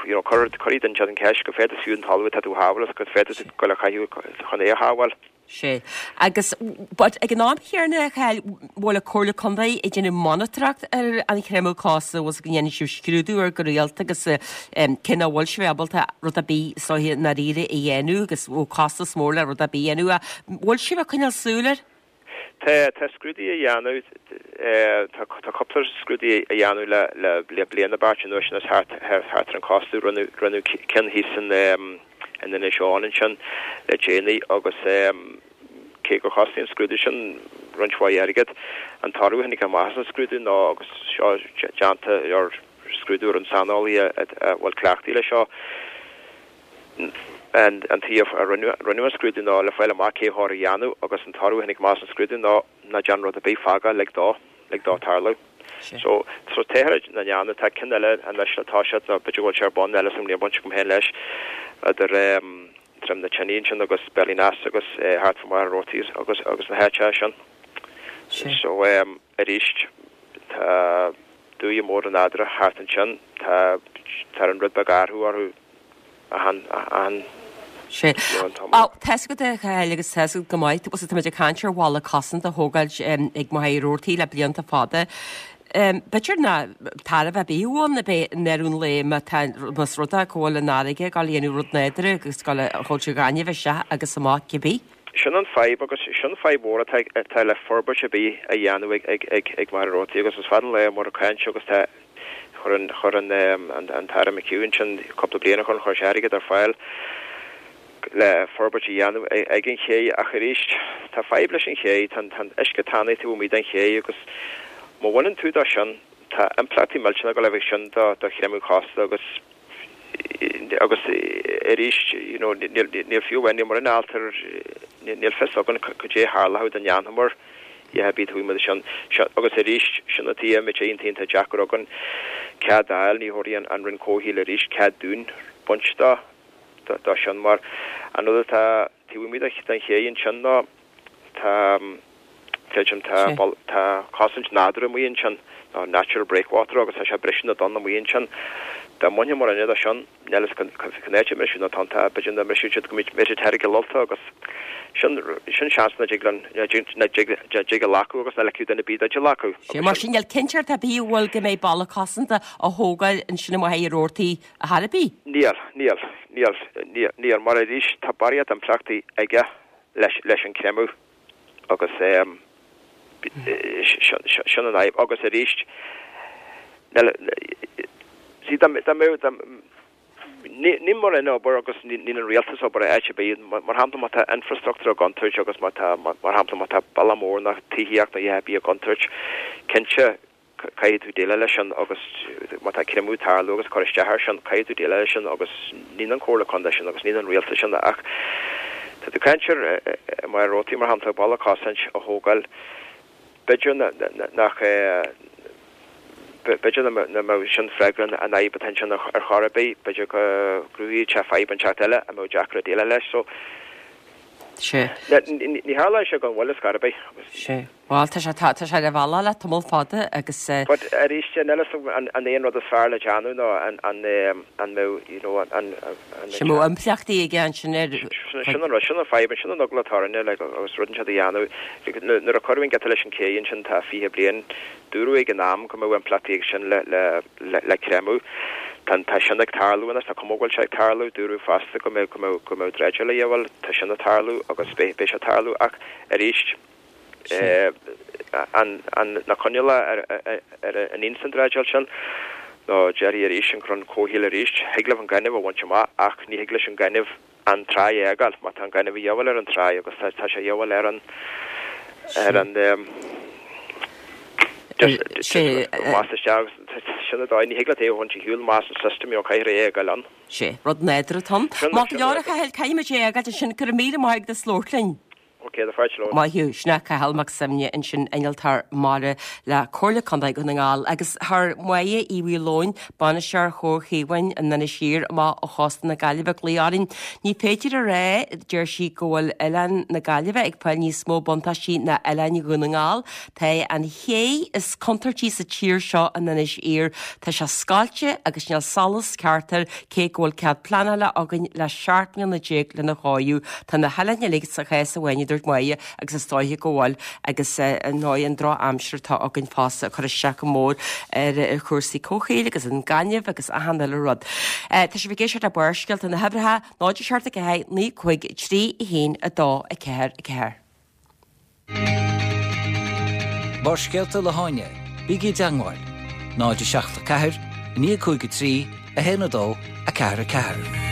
E: you know cuir cuirfidh duine an cheist cad fad is fiú an talamh atá tú a shábháil agus cad fad atá tú ag goil a chaitheamh chun é a shábháil.
A: Sea. Agus but ag an am chéanna a Chathail, bhfuil an Comhairle Contae ag déanamh monatóireacht ar an chreimeadh cósta bhfuil go ndéanann sibh scrúdú air go rialta agus cé nach bhfuil sibh ábalta rud ar bith is dóiche i ndáiríre a dhéanamh agus bhfuil costas mór le rud ar bith a dhéanamh. Bhfuil sibh ag coinneáil súil air?
E: Tá tá scrúduithe á dhéanamh, tá tá cúpla scrúduithe á dhéanamh le le le bliain nó beirt anuas anois thart thart ar an chósta. Rinneadh rinneadh ceann thíos in in Inis Eoghain ansin le déanaí agus cé gur chostaigh an scrúdú sin roinnt mhaith airgid, an toradh a tháinig amach as an scrúdú ná agus seo déanta ar scrúdú ar an saineolaí a bhfuil cleachtaithe leis seo, an an taobh a rinneadh an scrúdú ná le fáil amach cé chóir a dhéanamh agus an toradh a tháinig amach as an scrúdú ná ná déan rud ar bith fág é lig dó lig dó tarlú. So so táthar á ndéanamh tá ceann eile anois le toiseacht nó b'fhéidir go bhfuil sé ar bun eile sa mbliain baint agam féin leis idir Droim na Tine ansin agus Ballynass agus thart fá Machaire Rabhartaigh agus agus na háiteacha sin. So arís tá dúiche mór an nádúrtha thart ansin tá tá an rud beag athrú orthu achan achan
A: Sea. Á, tá's agat a Chathail agus tá's agat go maith, bhuel táimid ag caint ar bhalla cosanta a thógáil ag Machaire Rabhartaigh le blianta fada. B'fhéidir nach tairbhe ar bith a bheadh ann i ndeireadh an lae má tá, más rud é go bhfuil an fharraige ag dul a dhéanamh rud nádúrtha agus ag dul a thabhairt an ghainimh isteach agus amach cibé.
E: Sin an fadhb agus sin fadhb mhór atá atá le forbairt ar bith a dhéanamh ag ag ag ag Machaire Rabhartaigh agus is fada an lá muid ag caint agus tá Chuir an chuir an an tAire McHugh ansin cúpla bliain ó shin, chuir sé airgead ar fáil le forbairt a dhéanamh ag an ché ach arís tá fadhb leis an ché, tá an tá an uisce tanaí taobh amuigh den ché agus má bhaineann tú dó sin tá impleachtaí millteanna ag dul a bheith sin do do chreimeadh cósta agus agus arís you know níl níl fiú amháin níl mórán alt ar níl fios againn cad é a tharlódh dá ndéanfamar a dhath ar bith taobh amuigh de sin agus arís sin an tuige a mbeidh sé iontach iontach deacair againn cead a fháil ní thabharfaidh an an Roinn Comhshaoil arís cead dúinn baint dó dó sin mar an rud atá taobh amuigh den ché ansin ná tá creidim tá tá cosaint nádúrtha amuigh ansin nó natural breakwater agus tá sé ag briseadh na dtonn amuigh ansin. Dá mbainfeamar aon rud de sin, níl fhios cén áit a mbrisfeadh na tonnta, b'fhéidir nach mbrisfeadh siad go mbeidh siad thoir i gCill Ulta agus sin sin seans nach dtig linn nach dtig nach dtig a ghlacadh agus nach ligfeadh duine ar bith duit a ghlacadh.
A: Sea, mar sin níl cinnteacht ar bith an bhfuil go mbeidh balla cosanta á thógáil ansin amuigh ar Rabhartaí ar chor ar bith?
E: Níl, níl, níl, níl, níl, mar arís tá barraíocht impleachtaí aige leis leis an creimeadh. Agus sin an fhadhb. Agus arís, see, dá mbeadh, níl mórán obair agus níl an rialtas ag obair áit ar bith. Mar shampla, má tá infrastructúr i gcontúirt agus má tá, mar shampla, má tá bealach mór nó tithíocht nó a dhath ar bith i gcontúirt, cinnte, caithfidh tú déileáil leis sin agus má tá creimeadh ag tarlú agus cur isteach air sin, caithfidh tú déileáil leis sin agus ní an Comhairle Contae sin agus ní an rialtas sin ach tá tú ag caint ar mar Rabhartaí mar shampla balla cosaint a thógáil b'fhéidir nach b'fhéidir nach mbeadh sin freagra an fhadhb atá ansin ar chor ar bith, b'fhéidir go gcruthóidh sé fadhb inteacht eile a mbeadh deacair déileáil leis so
A: Sea.
E: Ní tharlóidh sé gan mhoill ar scor ar bith.
A: Sea. Bhuel, tá sé, tá, tá sé ar a bhealach le tamall fada agus eh.
E: But arís, níl fhios agam an, an é an rud is fearr le déanamh nó an, an, an mbeadh, you know, an, an, an.
A: Sea, mbeadh impleachtaí aige ansin ar.
E: Sin an rud, sin an fadhb, sin an eagla atá orainne, like, agus rud inteacht a dhéanamh. Like, nuair a cuireadh an giota leis an cé ansin tá fiche bliain, dúradh ag an am go mbeadh impleachtaí aige sin le, le, le, le creimeadh. Tá, tá sin ag tarlú anois, tá cuma go bhfuil sé ag tarlú, dúradh fosta go mbeadh, go mbeadh, go mbeadh dreideáil a dhíobháil, tá sin ag tarlú agus beidh, beidh sé ag tarlú ach arís, eh, an, an, na coinníollacha ar, ar, ar a n-ins an dreideáil sin, nó déarfaidh arís an Roinn Comhshaoil arís, thig libh an gaineamh a bhaint amach ach ní thig leis an gaineamh an tráigh a fhágáil, má tá an gaineamh a dhíobháil ar an tráigh agus tá, tá sé a dhíobháil ar an, ar an, just, just más isteach agus sin an dóigh, ní thig leat é a bhaint ar shiúl más an system, you know, caithfidh é a fhágáil ann.
A: Sé, rud nádúrtha atá ann. Maith go leor a Chathail, caithfidh muid é a fhágáil ansin, go raibh míle maith agat as labhairt linn.
E: Ok, tá fáilte romhat.
A: Maith thú. Sin é Cathal Mac Suibhne ansin, innealtóir mara le Comhairle Contae Dhún na nGall agus chuir Máire Uí Mhaoileoin, bainisteoir Chomhar Chaomháin in Inis Oírr amach ó chósta na Gaillimhe glaoch orainn. Ní féidir a rá, deir sí, go bhfuil oileán na Gaillimhe ag fáil níos mó buntáistí ná oileáin Dhún na nGall. Tá an ché is contúirtí sa tír seo in Inis Oírr. Tá sé scailte agus níl solas ceart air cé go bhfuil cead pleanála againn le seacht mbliana déag lena chóiriú. Tá na hoileáin uilig sa chás amháin, a dúirt Máire, agus is dóiche go bhfuil agus ar ndóigh an drochaimsir atá againn fosta ag cur isteach go mór ar chúrsaí comhshaoil agus an gaineamh agus achan uile rud. Tá sibh ag éisteacht le Barrscéalta na huimhreacha, náid a seacht a ceathair, naoi cúig trí a haon a dó a ceathair a ceathair.
C: Barrscéalta le hÁine, bígí i dteangmháil, náid a seacht a ceathair, naoi cúig a trí, a haon a dó, a ceathair a ceathair.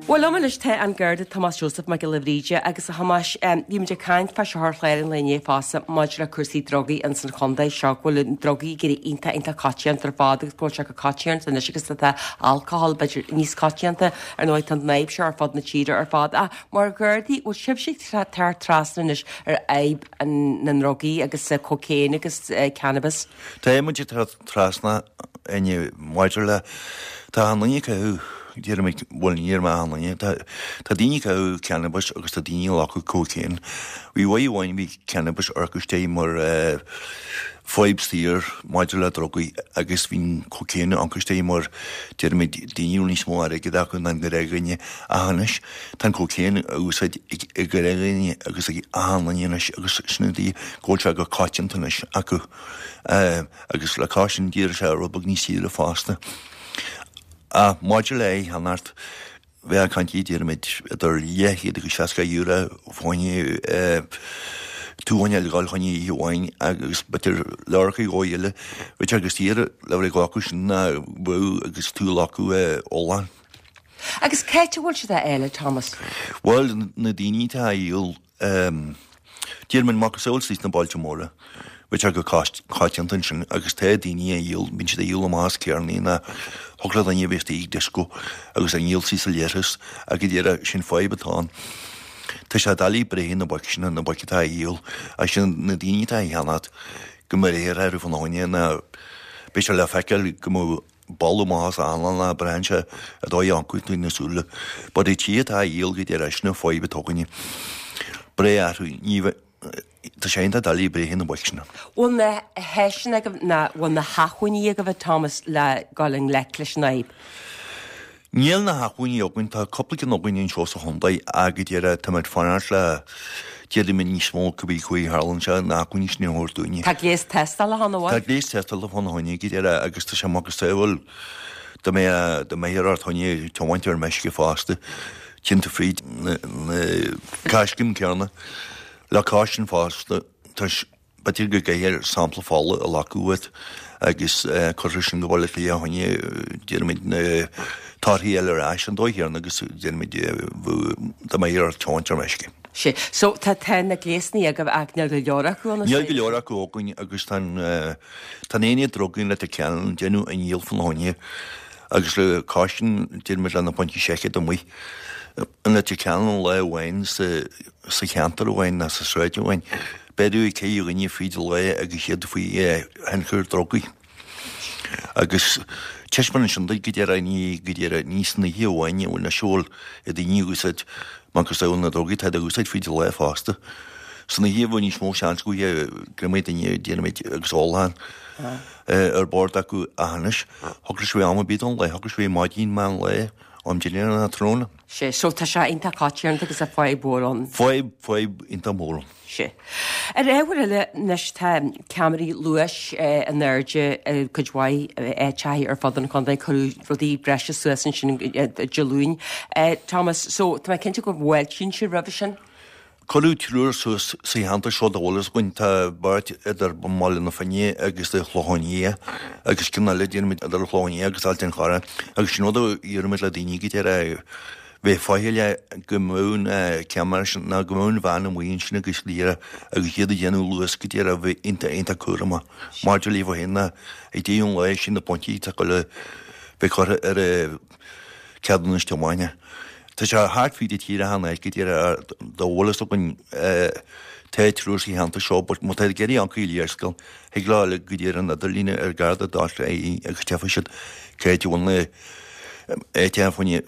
A: Bhuel, liom anois tá an Garda Tomás Joseph Mac Giolla Bhríde agus a Thomáis, bhí muid ag caint fá seo ar chlár an lae inné fosta maidir le cúrsaí drugaí ins an chontae seo, go bhfuil na drugaí ag éirí iontach iontach coitianta ar fad agus go bhfuil sé chomh coitianta anois agus atá alcohol b'fhéidir níos coitianta. Ar ndóigh tá an fhadhb seo ar fud na tíre ar fad. Ach mar Ghardaí, bhfuil sibhse ag teacht trasna anois ar fhadhb na ndrugaí agus cocaine agus cannabis?
F: Tá muid ag teacht trasna inniu maidir le tá an duine acu déarfaimid bhuel ní ar maith an duine tá tá daoine ag caitheamh cannabis agus tá daoine ag glacadh cocaine. Bhí uair amháin bhí cannabis orcaisté mar eh, fadhb saor maidir le drugaí agus bhí an cocaine orcaisté mar déarfaimid daoine a raibh níos mó airgid acu ná an gnáthdhuine ach anois tá an cocaine á úsáid ag ag gnáthdhuine agus ag achan duine anois agus sin an dóigh go bhfuil sé go coitianta anois acu. Eh, agus le cois sin d'éirigh sé rud beag níos saoire fosta. Ach maidir le é cheannacht, bheadh caint déarfaimid idir leathchéad agus seasca euro fá choinne tú a ghabháil fá choinne oíche amháin agus b'fhéidir leabhracha dhó eile. Bheadh sé go saor le bheith ag glacadh sin ná bheadh agus tú ag glacadh ola.
A: Agus cá háit a bhfuil siad á fháil, a Thomas?
F: Bhuel, na daoine atá á dhíol, déarfaimid macasamhail sna bailte móra. Bheadh sé go coitianta ansin agus tá daoine a dhíol, bíonn siad a dhíol amach as carrannaí ná thig le duine a bheith istigh ag disco agus a ndíol sí sa leithreas ach go díreach sin fadhb atá ann. Tá sé doiligh breith ar na boic sin, na boic atá a dhíol agus sin na daoine atá a cheannacht go mbeifear orthu fána choinne ná beidh sé le feiceáil go mbeadh boladh amach as a anlann ná braitheann sé a dóigh a ioncú tú na súile. But i tí atá a dhíol go díreach sin an fadhb atá againne. Breith orthu, ní bheith Tá sé iontach doiligh breith ar na boic sin.
A: Bhfuil na háiseanna agaibh ná bhfuil na hacmhainní agaibh a Thomas le dul i ngleic leis an fhadhb?
F: Níl na hacmhainní againn, tá cúpla ceann againn anseo sa chontae ach go díreach táimid fanacht le déarfaidh níos mó cibé chaoi a tharlaíonn sé na hacmhainní sin a thabhairt dúinne.
A: Tá gléas tástála ann an bhfuil?
F: Tá gléas tástála fána choinne go díreach agus tá sé macasamhail dá mbeadh dá mbeadh ort choinne tiomáint ar meisce fosta, téann tú fríd na na coiscéim céanna. Le cois sin fosta, tá b'fhéidir go gcaithfear sampla fola a ghlacadh uait agus cuirfear sin go Baile Átha Cliath fá choinne, déarfaimid, na torthaí a fháil ar ais an dóigh chéanna agus déarfaimid dá mbeadh ort tiomáint ar meisce.
A: Sea. So tá tá na gléasanna agaibh ach níl go leor acu ann,
F: Níl go leor acu againn agus tá an tá an aonad drugaí in Leitir Ceanainn déanamh a ndícheall fána choinne agus le cois sin déarfaimid le na pointí seichimh amuigh in Leitir Ceanainn lá amháin sa sa cheantar amháin nó sa sráid amháin, beireadh ceithre dhuine fríd an lá agus iad faoi thionchar drugaí. Agus taispeánann sin duit go díreach ní go díreach ní san oíche amháin a bhfuil na siúl ag daoine ag úsáid macasamhail na drugaí, tá siad ag úsáid fríd an lá fosta. San oíche bheadh níos mó seans go go mbeidh duine déanaimid agus ólachán ar bord acu ach anois, thig leis a bheith am ar bith don lá, thig leis a bheith maidin, meán lae, am dinnéir nó tráthnóna.
A: Sea, so tá sé iontach coitianta agus tá fadhb mhór ann.
F: Fadhb, fadhb iontach mór ann.
A: Sea. Ar ábhar eile, anois tá ceamaraí luais in airde i gcuid mhaith áiteacha ar fud an chontae, cuireadh rudaí breise suas ansin Dé Luain. Thomas, so tá mé cinnte go bhfáiltíonn sibh roimhe sin?
F: Cuireadh triúr suas sa cheantar seo dá bhfuil fhios againn. Tá beirt idir mBaile na Finne agus an Chlochán Liath agus ceann eile déarfaimid idir an Chlochán Liath agus Ailt an Chorráin agus sin rud a iarraimid le daoine go deireadh bheith faichilleach go mbeadh na ceamara sin nó go mbeadh an veain amuigh ansin agus liath agus iad ag déanamh luas go deireadh bheith iontach iontach cúramach maidir leo féin ná ag deireadh an lae sin na pointí atá ag dul a bheith curtha ar a ceadúnas tiomána. Tá sé thart fríd an tír achan áit go díreach dá bhfuil fhios againn tá triúr sa cheantar seo but má tá ag iarraidh amharc ar léarscáil thig leo dul go dtí an idirlíne ar garda dot ie agus tchífidh siad cá háit a bhfuil na áiteacha fá choinne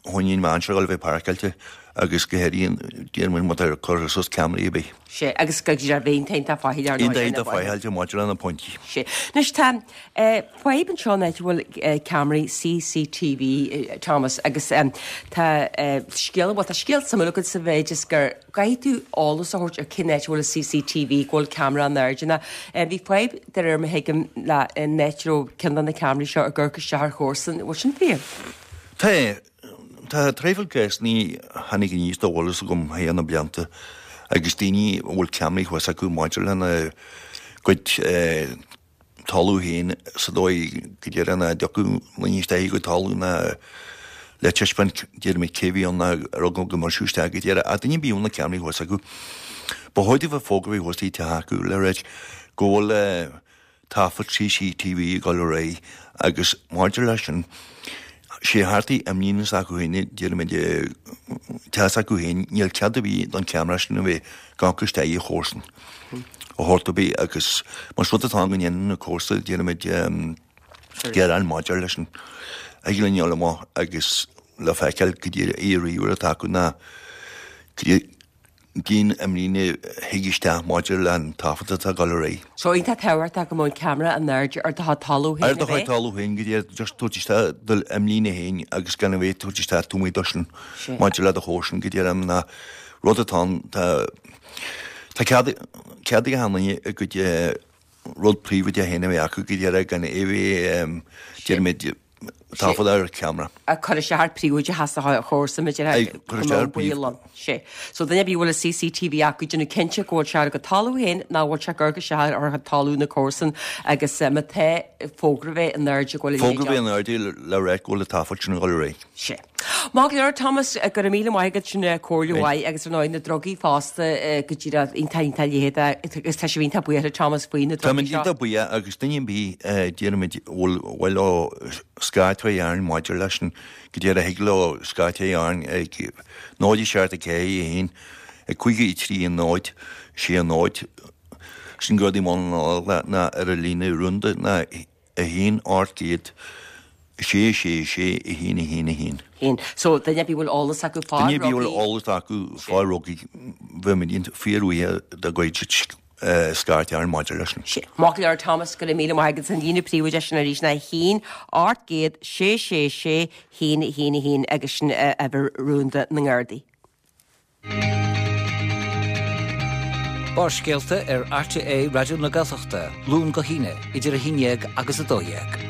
F: choinne an veain seo a dhul a bheith páirceáilte agus go háirithe déarfainn má tá curtha suas ceamaraí ar bith.
A: Sea, agus go dtí ar bheinn iontach faichilleach ar ndóigh.
F: Iontach faichilleach maidir le na pointí.
A: Sea. Anois tá fadhb anseo an áit a bhfuil ceamaraí CCTV, Thomas, agus tá scéal, bhuel tá scéal suimiúil agat sa mhéid is gur caithfidh tú eolas a thabhairt ar cén áit a bhfuil an CCTV, go bhfuil ceamara in airde ná. Bhí fadhb, de réir mar a thuigim, le an áit a raibh ceann de na ceamaraí seo ag amharc isteach ar chomharsan. Bhfuil sin fíor?
F: Tá. Tá traidhfil cásanna a tháinig aníos dá bhfuil fhios agam thar na blianta agus daoine a bhfuil ceamaraí thuas acu maidir lena gcuid talamh féin sa dóigh go déarfainn nach dtiocfadh daoine isteach i gcuid talamh ná le taispeáint déarfaimid cé bhí ann ná ar eagla go mbriseadh isteach go déarfá ach duine ar bith a bhfuil na ceamaraí thuas acu. Ba chóir daofa fógra a bheith thuas ag teach acu le ráit go bhfuil taifead CCTV ag dul ar aghaidh agus maidir leis sin sé thart imlíne s'acu féin déarfaimid teach s'acu féin níl cead ar bith don cheamara sin a bheith ag amharc isteach i chomharsan a shórt ar bith agus más rud atá ann go ndéanann na comharsa déarfaimid gearán maidir leis sin thig linn dul amach agus le feiceáil go dtí í ríomhaire atá acu ná go dtí cén imlíne a thig isteach maidir le an taifead atá ag dul ar aghaidh.
A: So iontach tábhachtach go mbeadh an ceamara in airde ar do chuid talamh féin
F: Ar do chuid talamh féin go dtí just tabhairt isteach do imlíne féin agus gan a bheith tabhairt isteach taobh amuigh de sin maidir le do chomharsan go dtí na rud atá ann tá tá cead cead ag achan duine a gcuid rud príobháideach féin a bheith acu go dtí gan é a bheith déarfaimid Taifead ar ceamara.
A: A cur isteach ar príobháideachas a chomharsa maidir
F: Aye, cur isteach ar príomh-
A: ann. Sé. So duine ar bith a bhfuil a CCTV acu déanamh cinnte go bhfuil sé ar a gcuid talamh féin ná bhfuil sé ag cur isteach ar a talamh na comharsan agus eh, má tá fógra bheith in airde go bhfuil a
F: Fógra
A: leithéid
F: bheith in airde le rá go bhfuil an taifead sin ag dul ar aghaidh.
A: Sé. Maith go leor Thomas eh, go raibh míle maith agat sin eh, comhairle mhaith agus ar ndóigh na drugaí fosta eh, go díreach iontach iontach leithéid agus tá sé iontach buíoch Thomas faoi na
F: Tá
A: drugaí seo.
F: iontach buíoch agus duine ar bith déarfaimid bhfuil bhfuil ó scairt a dhéanamh maidir leis sin go dtí a thig leo scairt a dhéanamh ag náid seacht a ceathair a haon ag cúig a trí a náid sé a náid sin Gardaí i mBaile na ná ar a líne rúnda ná a haon ocht gcéad sé sé sé a haon a haon a haon.
A: Haon. So duine ar bith bhfuil eolas acu fá
F: Duine ar bith bhfuil
A: drugaí.
F: eolas acu fá dhrugaí bheimid fíorbhuíoch dá gcuirfeadh scairt orainn maidir leis sin.
A: Sé. Maith go leor Thomas go raibh míle maith agat an líne príobháideach sin arís ná haon ocht gcéad sé sé sé haon a haon a haon agus sin eh, uimhir rúnda na nGardaí.
C: Barrscéalta ar RTÉ Raidió na Gaeltachta, Luan go hAoine, idir a haon déag agus a dó dhéag.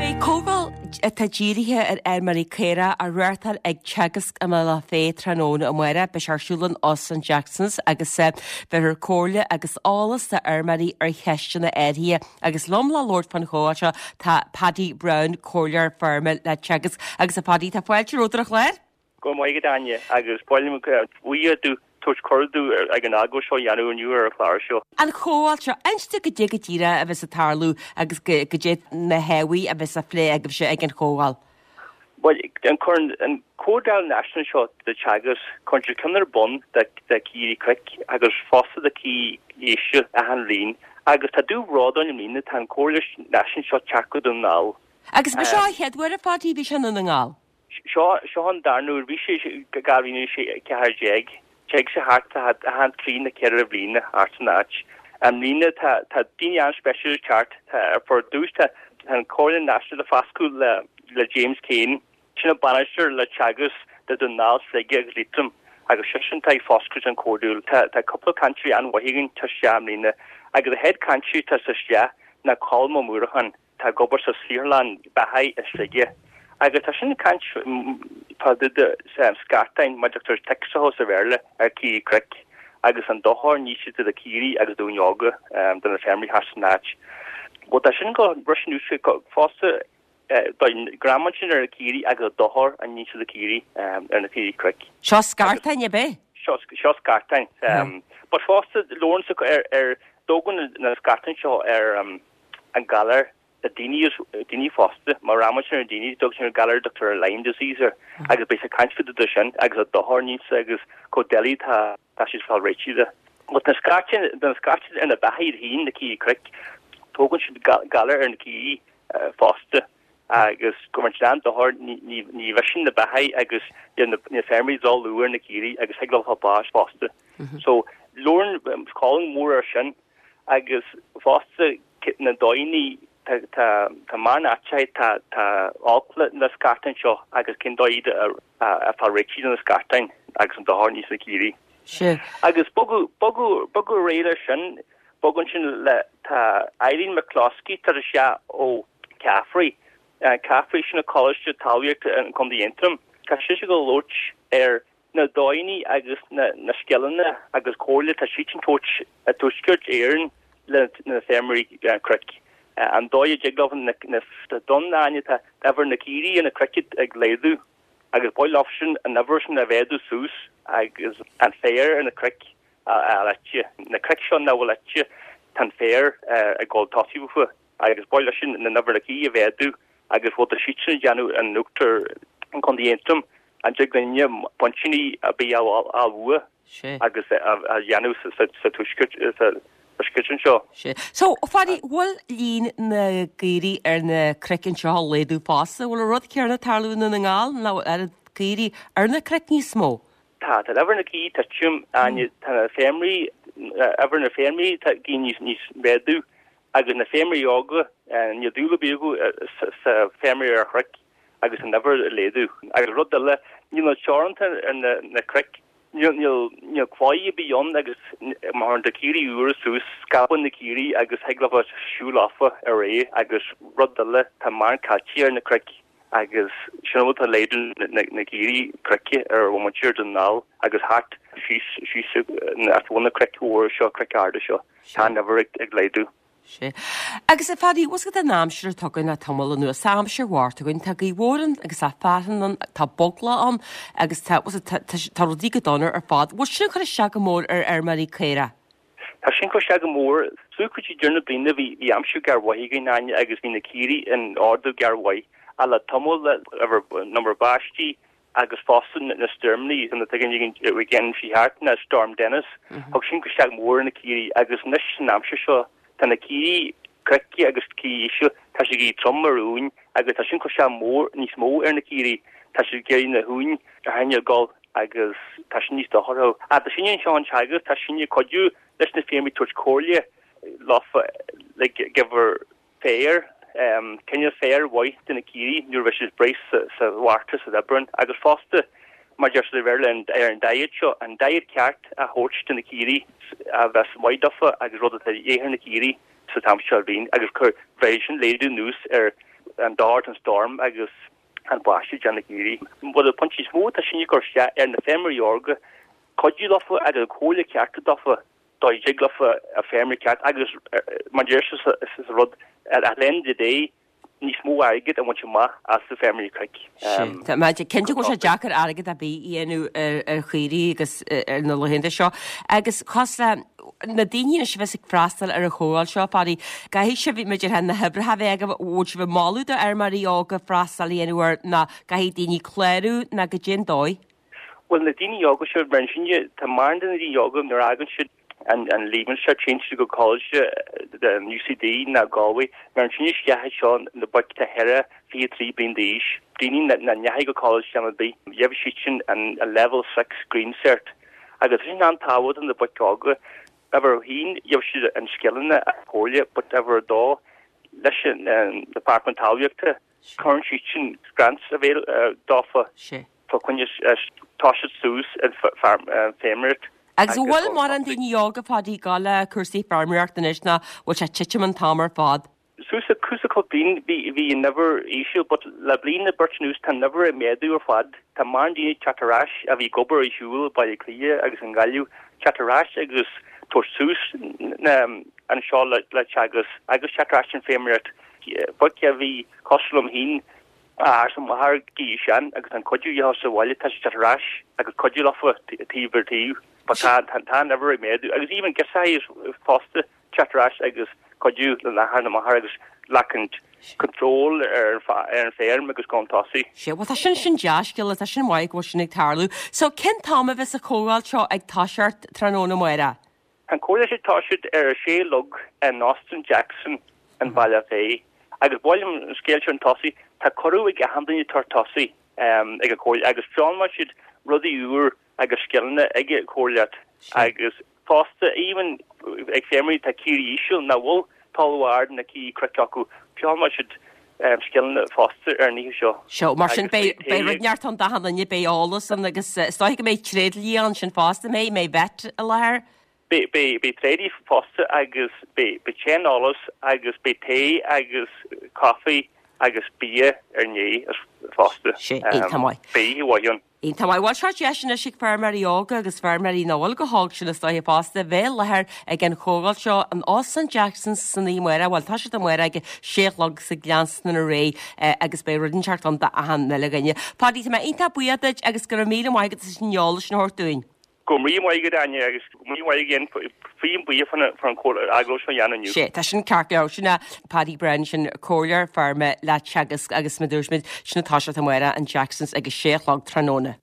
A: Beidh comhdháil atá dírithe ar fheirmeoirí caorach á reáchtáil ag Teagasc i mBealach Féich tráthnóna amárach beidh sé ar siúl in Óstán Jacksons agus eh, bheifear comhairle agus eolas d'fheirmeoirí ar cheisteanna áirithe agus liom le labhairt fán chomhdháil seo tá Paddy Brown comhairleoir feirme le Teagasc agus a Paddy tá fáilte romhat ar an chlár?
G: Go maith agat Áine agus bhfuil buíoch domh tabhairt cuireadh domh ag an agó seo dhéanamh inniu ar an chlár seo.
A: An chomhdháil seo inis dúinn goidé go díreach a bheas ag tarlú agus goidé na hábhair a bheas á phlé agaibhse ag an chomhdháil.
G: Well an chun an comhdháil náisiúnta seo de Teagasc cuireann sé ceann ar bun de de caoirigh cnoic agus fosta de caoirigh éise achan bhliain agus tá dúbhród orainn i mbliana tá an comhairle náisiúnta seo teacht go Dún na nGall.
A: Agus ba seo an chéad uair a Phaddy bhí sé i nDún na nGall.
G: Seo seo an darna huair bhí sé dhá mhíle sé ceathair déag Téigh sé thart achan trí nó ceithre bhliana thart san áit. I mbliana tá tá daoine an-speisialta teacht tá for dtús tá an Comhairle Náisiúnta foscadh le le James Kane sin an bainisteoir le Teagasc de Dún na nGall Sligeach agus Liatroim agus sé sin tá ag foscailt an comhdháil tá tá cúpla cainteoirí an-mhaith againn tá isteach i mbliana agus a chéad cainteoir tá sa isteach ná Colm Ó Muireacháin tá ag obair sa saotharlann beatha i Sligeach. Agus tá sin caint fá scartáin mar Dr. Texaho sa Bhéarla ar caoirigh cnoic agus an dochar a ní siad do caoirigh agus daoine óga do na feirmeoirí thar san áit. Well tá sin go Russian fosta greamain sin ar na caoirigh agus dochar a ní siad do caoirigh ar na caoirigh cnoic.
A: Seo scartáin ab ea?
G: Seo seo scartáin. But fosta labhrann ar ar dógann na scartáin seo ar an galar na daoine daoine fosta mar rama sin ar daoine dug sin galar Dr. Lyme disease ar agus beidh sé caint fá dtaobh de sin agus a dochar níos agus chomh doiligh tá tá siad fáil réitithe de. But na scartáin na scartáin ar na beathaí féin na caoirigh cnoic tógann siad galar ar na caoirigh fosta agus go bhfuil an dochar ní ní bheith na beathaí agus na na feirmeoirí dul ar na caoirigh agus ag le bás fosta. So labhrann Colm mór ar sin agus fosta na daoine tá tá tá mar áite tá tá olc na scartáin seo agus cén dóigh a fáil réitithe na scartáin agus an dochar níos na caoirigh.
A: Sé.
G: Agus bogadh bogadh bogadh réile sin bogann sin le tá Eileen McCloskey tar sé ó Caffrey Caffrey sin na Coláiste Talmhaíochta an Contae Aontroim Tá sé go labhairt ar na daoine agus na na scileanna agus comhairle tá siad sin tabhairt a Tuaisceart Éireann le na feirmeoirí cnoic. An dóigh a dtig leo na na don aine tá uimhir na caoirigh na cnoic ag laghdú agus ba mhaith leo sin an uimhir sin a mhéadú suas agus an féar ar na cnoic a leite. Na cnoic seo na bhfuil leite tá an féar ag dul tosaí fúthu agus ba mhaith leis sin na uimhir na caoirigh a mhéadú agus bhfuil tá siad sin déanamh an uachtar an Contae Aontroim an dtig linne pointíní a bí á bhua agus a dhéanamh sa tuaisceart sa tuaisceart anseo.
A: Sé. So Phaddy bhfuil líon na gcaoirigh ar na cnoic anseo á laghdú fosta, bhfuil an rud céanna ag tarlú i nDún na nGall nó ar caoirigh ar na cnoic níos mó?
G: Tá tá uimhir na gcaoirigh ag titim tá na feirmeoirí uimhir na feirmeoirí tá gí níos níos méadú agus na feirmeoirí óga níl dúil ar bith acu sa feirmeoirí ar chnoic agus an uimhir ag laghdú. Agus rud eile níl na teoranta ar na na cnoic Níl níl níl claí ar bith ann agus má théann na caoirigh úra suas, scabann na caoirigh agus thig leofa siúl leofa ar aghaidh agus rud eile tá mórán caití ar na cnoic agus sin an rud atá laghdú na na caoirigh cnoic ar mhuintir Dhún na nGall agus thart síos síos as bhun na cnoic mhóra seo, cnoic arda seo. Tá an uimhir ag laghdú.
A: Sea. Agus a Phadaí, bhfuil a fhios agat an aimsir atá againn le tamall anuas, tá aimsir mharbh againn, tá gaoth mhór ann agus tá fearthainn ann, tá boglach ann agus tá, bhfuil a fhios agat, tá, tá rudaí go dona ar fad. Bhfuil sin ag cur isteach go mór ar fheirmeoirí caorach?
G: Tá sin ag cur isteach go mór. Suas go dtí deireadh na bliana bhí, bhí aimsir gearr-mhaith againn, Áine, agus bhí na caoirigh in ardú gearr-mhaith. Ach le tamall, le an iomarca báistí agus fosta na stoirmeanna na tuigeann again sí thart na Storm Dennis thug sin cur isteach mór ar na caoirigh agus anois san aimsir seo tá na caoirigh cnoic agus caoirigh íseal tá siad ag éirí trom ar uain agus tá sin cur isteach mór níos mó ar na caoirigh tá siad ag iarraidh na huain a choinneáil ag gol agus tá sin níos dochar Ach tá sin anseo an Teagasc tá sin ag cuidiú leis na feirmeoirí tabhairt comhairle leofa le giofar féar, cineál féir mhaith do na caoirigh nuair a bheidh siad breis sa Mhárta san Aibreán agus fosta mar deir siad ar ar an diet seo, an diet ceart a thabhairt do na caoirigh a bheas maith dófa agus rud atá de dhíth ar na caoirigh sa t-am seo bhliain agus cur bheidh sin laghdú anuas ar an dord an storm agus an báisteach do na caoirigh. Bhuel an pointe is mó atá sin ag cur isteach ar na feirmeoirí óga cuidiú leofa agus an comhairle ceart dófa dá dtig leofa a feirmeoirí ceart agus mar deir sé is rud at the end of the day níos mó airgead a bhaint amach as na feirmeoirí cnoic.
A: Tá mé cinnte go bhfuil sé deacair airgead ar bith a dhéanamh ar chaoirigh agus ar na laethanta seo. Agus cos le na daoine anois a bheas ag freastal ar an chomhdháil seo, Phadaí, caithfidh sibh, b'fhéidir na hoibrithe a bheith agaibh, bhfuil sibh ag moladh do fheirmeoirí óga freastal a dhéanamh air nó caithfidh daoine clárú nó goidé an dóigh?
G: Bhuel na daoine óga seo mar sin de, tá mórán de na daoine óga nuair a fhágann siad an an Leaving Cert téann siad go college an UCD ná Galway mar sin isteach seo na boic tá cheithre fiche trí bliain d'aois daoine nach ndeachaigh go college ar bith gheobhaidh siad sin an an level six green cert agus sin an-tábhachtach na boic óga uimhir a haon gheobhaidh siad an scileanna a comhairle but uimhir a dó leis an Department Talmhaíochta cuireann siad sin grants avail dófa fá choinne toiseacht suas an feirmeoireacht.
A: Agus an bhfuil mórán daoine óga Phadaí ag gabháil le cúrsaí feirmeoireachta anois nó bhfuil sé ag titim an t-am ar fad?
G: Suas le cúpla bliain bhí bhí an uimhir íseal but le bliain nó beirt anuas tá an uimhir ag méadú ar fad. Tá mórán daoine ag teacht ar ais a bhí ag obair ar shiúl i Baile Átha Cliath agus i nGaillimh teacht ar ais agus tabhairt suas anseo le le Teagasc agus teacht ar ais an feirmeoireacht. Boic a bhí cosúil liom féin athair is máthair ag éirí sean agus an cuidiú a dhéanamh sa bhaile tá siad ar ais agus cuidiú leofa taobh ar taobh but tá tá an uimhir ag méadú agus even girseachaí fosta teacht ar ais agus cuidiú lena n-athair nó máthair agus glacann control ar ar an feirm agus chun tosaigh.
A: Sea, bhuel tá sin sin dea-scéala, tá sin maith go bhfuil sin ag tarlú. So cén t-am a bheas an chomhdháil seo ag toiseacht tráthnóna amárach?
G: An chomhdháil seo ag toiseacht ar a sé a chlog in Óstán Jackson in Bealach Féich. Agus ba mhaith liom an scéal seo chun tosaigh, tá cuireadh ag achan duine tabhairt tosaigh ag an chomhairle agus foghlaimeoidh siad rudaí úr agus scileanna ag an chomhairle agus fosta even ag feirmeoirí atá caoirigh íseal nach bhfuil talamh ard na caoirigh cnoic acu, foghlaimeoidh siad scileanna fosta ar an oíche seo.
A: Seo, mar sin beidh beidh rud inteacht ann d'achan duine, beidh eolas ann agus is dóigh go mbeidh tréidlia ansin fosta, mbeidh, mbeidh vet i láthair?
G: Beidh beidh tréidlia fosta agus beidh beidh saineolas agus beidh tae agus caife agus bia ar ndóigh fosta.
A: Sea, iontach maith.
G: Beidh oíche mhaith ann.
A: Iontach maith. Bhuel, seo deis anois ag feirmeoirí óga agus feirmeoirí nach bhfuil chomh hóg sin is dóiche fosta bheith i láthair ag an chomhdháil seo in Óstán Jackson's san oíche amárach. Bhuel, tá siad amárach ag a sé a chlog agus ag leanstan ar aghaidh agus beidh rud inteacht ann d'achan uile dhuine. Paddy, tá mé iontach buíoch duit agus go raibh míle maith agat as an eolas sin a thabhairt dúinn.
G: Go raibh míle maith agat Áine agus go raibh míle maith again faoin buíoch fan an agallamh seo a dhéanamh inniu.
A: Sea, tá sin ceart go leor. Sin é Paddy Brennan, sin comhairleoir feirme le Teagasc agus mar a dúirt muid, sin ag toiseacht amárach in Jackson's ag a sé a chlog tráthnóna.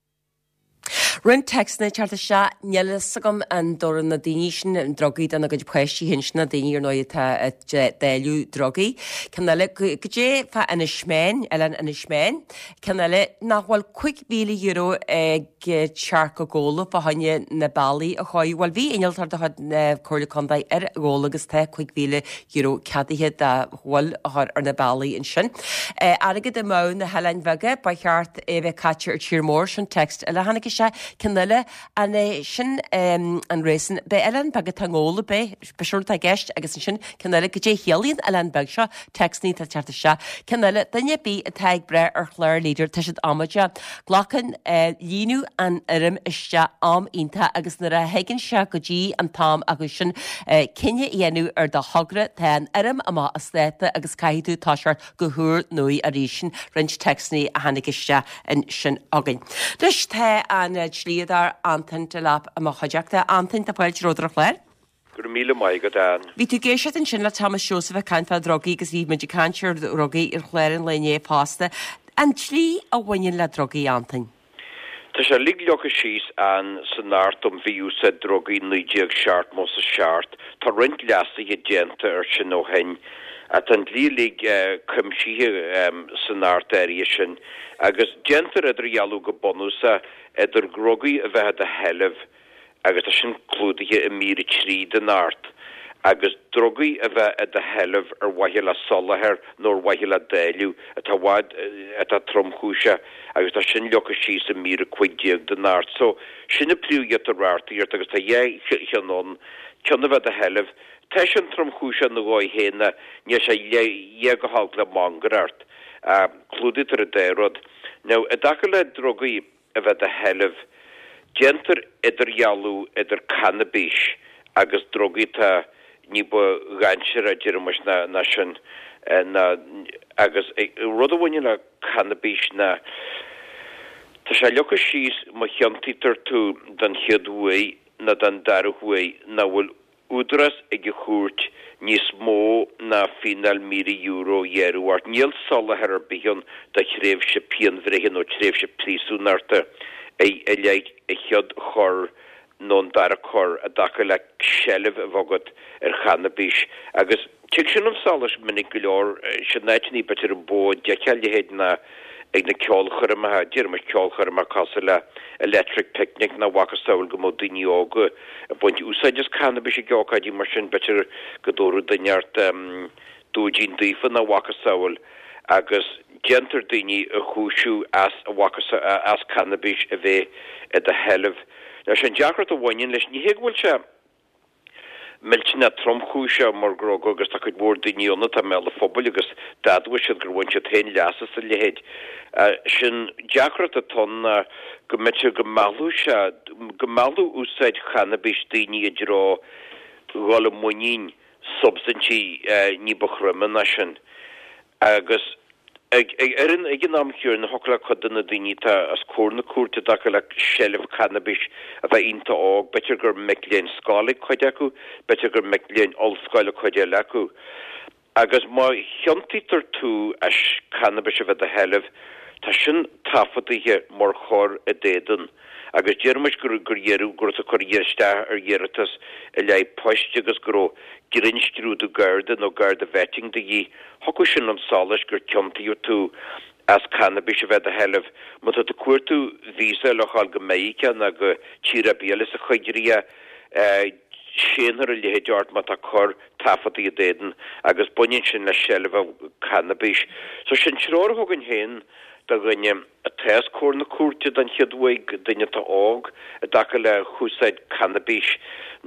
A: Roinnt téacsanna ag teacht isteach, níl a fhios agam an dtabharann na daoine sin drugaí dona gcuid páistí féin, sin na daoine ar ndóigh atá ag dáileadh drugaí. Ceann eile, goidé fá Inis Meáin, oileán Inis Meáin. Ceann eile, nach bhfuil cúig mhíle euro ag teacht go Gabhla fá choinne na bealaí a chóiriú. Bhuel, bhí innealtóir de chuid na Comhairle Contae ar Ghabhla agus tá cúig mhíle euro ceadaithe do ghoil a chur ar na bealaí ansin. Airgead amú na hOileáin Bheaga, ba cheart é a bheith caite ar tír mór, sin text eile a tháinig isteach. Ceann eile, an é sin an réasún, b'é oileán beag atá i ngol ab é, ba sin atá i gceist agus ansin ceann eile, goidé a chiallaíonn oileán beag seo, téacsanna atá ag teacht isteach. Ceann eile, duine ar bith atá ag brath ar chlár Leader, tá siad amaideach. Glacann líonadh an fhoirm isteach am iontach agus nuair a thagann sé go dtí an t-am acu sin cinneadh a dhéanamh ar do thogra, tá an fhoirm amach as dáta agus caithfidh tú toiseacht go húrnua arís. Sin roinnt téacsanna a tháinig isteach ansin againn. Anois tá an dlíodóir Antain Delap i mo chuideachta. Antain, tá fáilte romhat ar an chlár.
H: Go raibh míle maith agat, Ann.
A: Bhí tú ag éisteacht ansin le Thomas Seosamh ag caint fá dhrugaí agus bhí muid ag caint ar dhrugaí ar chlár an lae inné fosta. An dlí a bhaineann le drugaí, Antain?
H: Tá sé uilig leagtha síos, Ann, san Acht um Mhí-Úsáid Drugaí naoi déag seachtó a seacht. Tá roinnt leasuithe déanta air sin ó shin. Tá an dlí uilig cuimsithe san Acht áirithe sin agus déantar idirdhealú go bunúsach idir drugaí a bheith i do sheilbh, agus tá sin clúdaithe i mír a trí den Acht, agus drugaí a bheith i do sheilbh ar mhaithe le soláthar nó ar mhaithe le dáileadh, atá i bhfad, atá tromchúiseach, agus tá sin leagtha síos i mír a cúig déag den Acht. So, sin an príomhghiota reachtaíochta agus tá dhá cheann ann, ceann a bheith i do sheilbh, tá sin tromchúiseach ina dhóigh féin ach níl sé a dhath go holc le mangaireacht. Clúdaítear an dá rud. Now, i dtaca le drugaí, a bheith i do sheilbh. Déantar idirdhealú idir cannabis agus drugaí atá ní ba dhainséaraí, a deir muid, ná sin, ná, agus rud a bhaineann le cannabis ná, tá sé leagtha síos má chiontaítear tú den chéad uair nó den dara huair nach bhfuil údarás ag an chúirt níos mó ná fíneáil míle euro a ghearradh ort. Níl soláthar ar bith ann do thréimhse pianbhreithe nó tréimhse príosúnachta i leith an chéad chor nó an dara cor i dtaca le seilbh a bheith agat ar channabis agus tig sin chun solais minic go leor. Sin áiteanna b'fhéidir an mó a d'fheicfeá a leithéid ná ag na ceolchoirmeacha, déarfaimis ceolchoirmeacha cosúil le Electric Picnic nó a mhacasamhail go mbeadh daoine óga ag baint úsáid as cannabis ag ócáidí mar sin, b'fhéidir go dtabharfadh duine ort dúidín daofa nó a mhacasamhail agus déantar daoine a chúiseamh as a mhacasamhail, as cannabis a bheith i do sheilbh. Now sé an deacracht a bhaineann leis, ní hé go bhfuil sé. millteanach tromchúiseach mar dhruga agus tá cuid mhór daoine ann atá i mbéal an phobail agus d'admhaigh siad gur bhain siad féin leas as a leithéid. Sé'n deacracht atá ann ná go mb'fhéidir go meallfadh sé, go meallfadh úsáid channabis daoine i dtreo dhul i muinín substaintí ní ba throime ná sin agus Ag an am chéanna, thiocfadh le cuid de na daoine atá os comhair na cúirte i dtaca le seilbh cannabis a bheith iontach óg, b'fhéidir gur mic léinn scoile cuid acu, b'fhéidir gur mic léinn ollscoile cuid eile acu. Agus má chiontaítear tú as cannabis a bheith i do sheilbh, tá sin taifeadaithe mar chor i d'éadan. Agus déarfaimis gur gur iarradh, go raibh tú ag cur isteach ar iarratas i leith poist agus go raibh grinnscrúdú Garda nó Garda vetting de dhíth, thiocfadh sin chun solais gur ciontaíodh tú as cannabis a bheith i do sheilbh. Má tá tú ag cuartú visa le dhul go Meiriceá nó go tír ar bith eile sa choigríoch, séanfar a leithéid ort má tá cor taifeadtaithe i d'éadan agus baineann sin le seilbh cannabis. So sin treoir a thugainn féin do dhuine atá os comhair na cúirte den chéad uair, duine atá óg i dtaca le húsáid cannabis,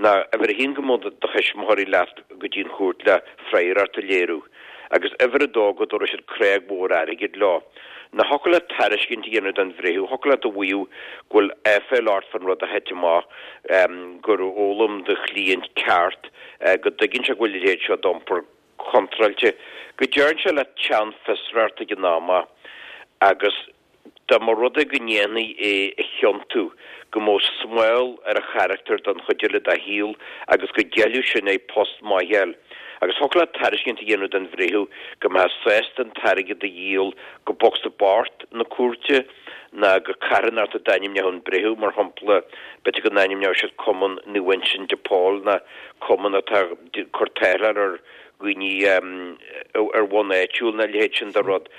H: ná uimhir a haon go mbeadh do thuismitheoirí leat go dtí an chúirt le freagracht a léiriú, agus uimhir a dó go dtabharfaidh siad creag mhór airgid leo. Nó thiocfadh leat tairiscint a dhéanamh don bhreitheamh, thiocfadh leat a mhaíomh go bhfuil aiféal ort fán rud a thit amach, gur fhoghlaim do chliant ceart, go dtuigeann sé go bhfuil a leithéid seo d'iompar contráilte, go dtearn sé le teann fiosracht ag an am agus dá mba rud é go ndéanfaí é a chiontú, go mbeadh smál ar a charachtar don chuid eile dá shaol agus go gceilfeadh sin é post maith a fháil. Agus thiocfadh leat tairiscint a dhéanamh don bhreitheamh go mbeifeá sásta an t-airgead a dhíol go bocsa bocht na cúirte ná go carthanacht a d'ainmneodh an breitheamh, mar shampla, b'fhéidir go n-ainmneodh siad Cumann Naomh Uinseann de Pól ná cumann atá ag cur táthláil ar dhaoine ar bhonn áitiúil nó a leithéid sin de rud.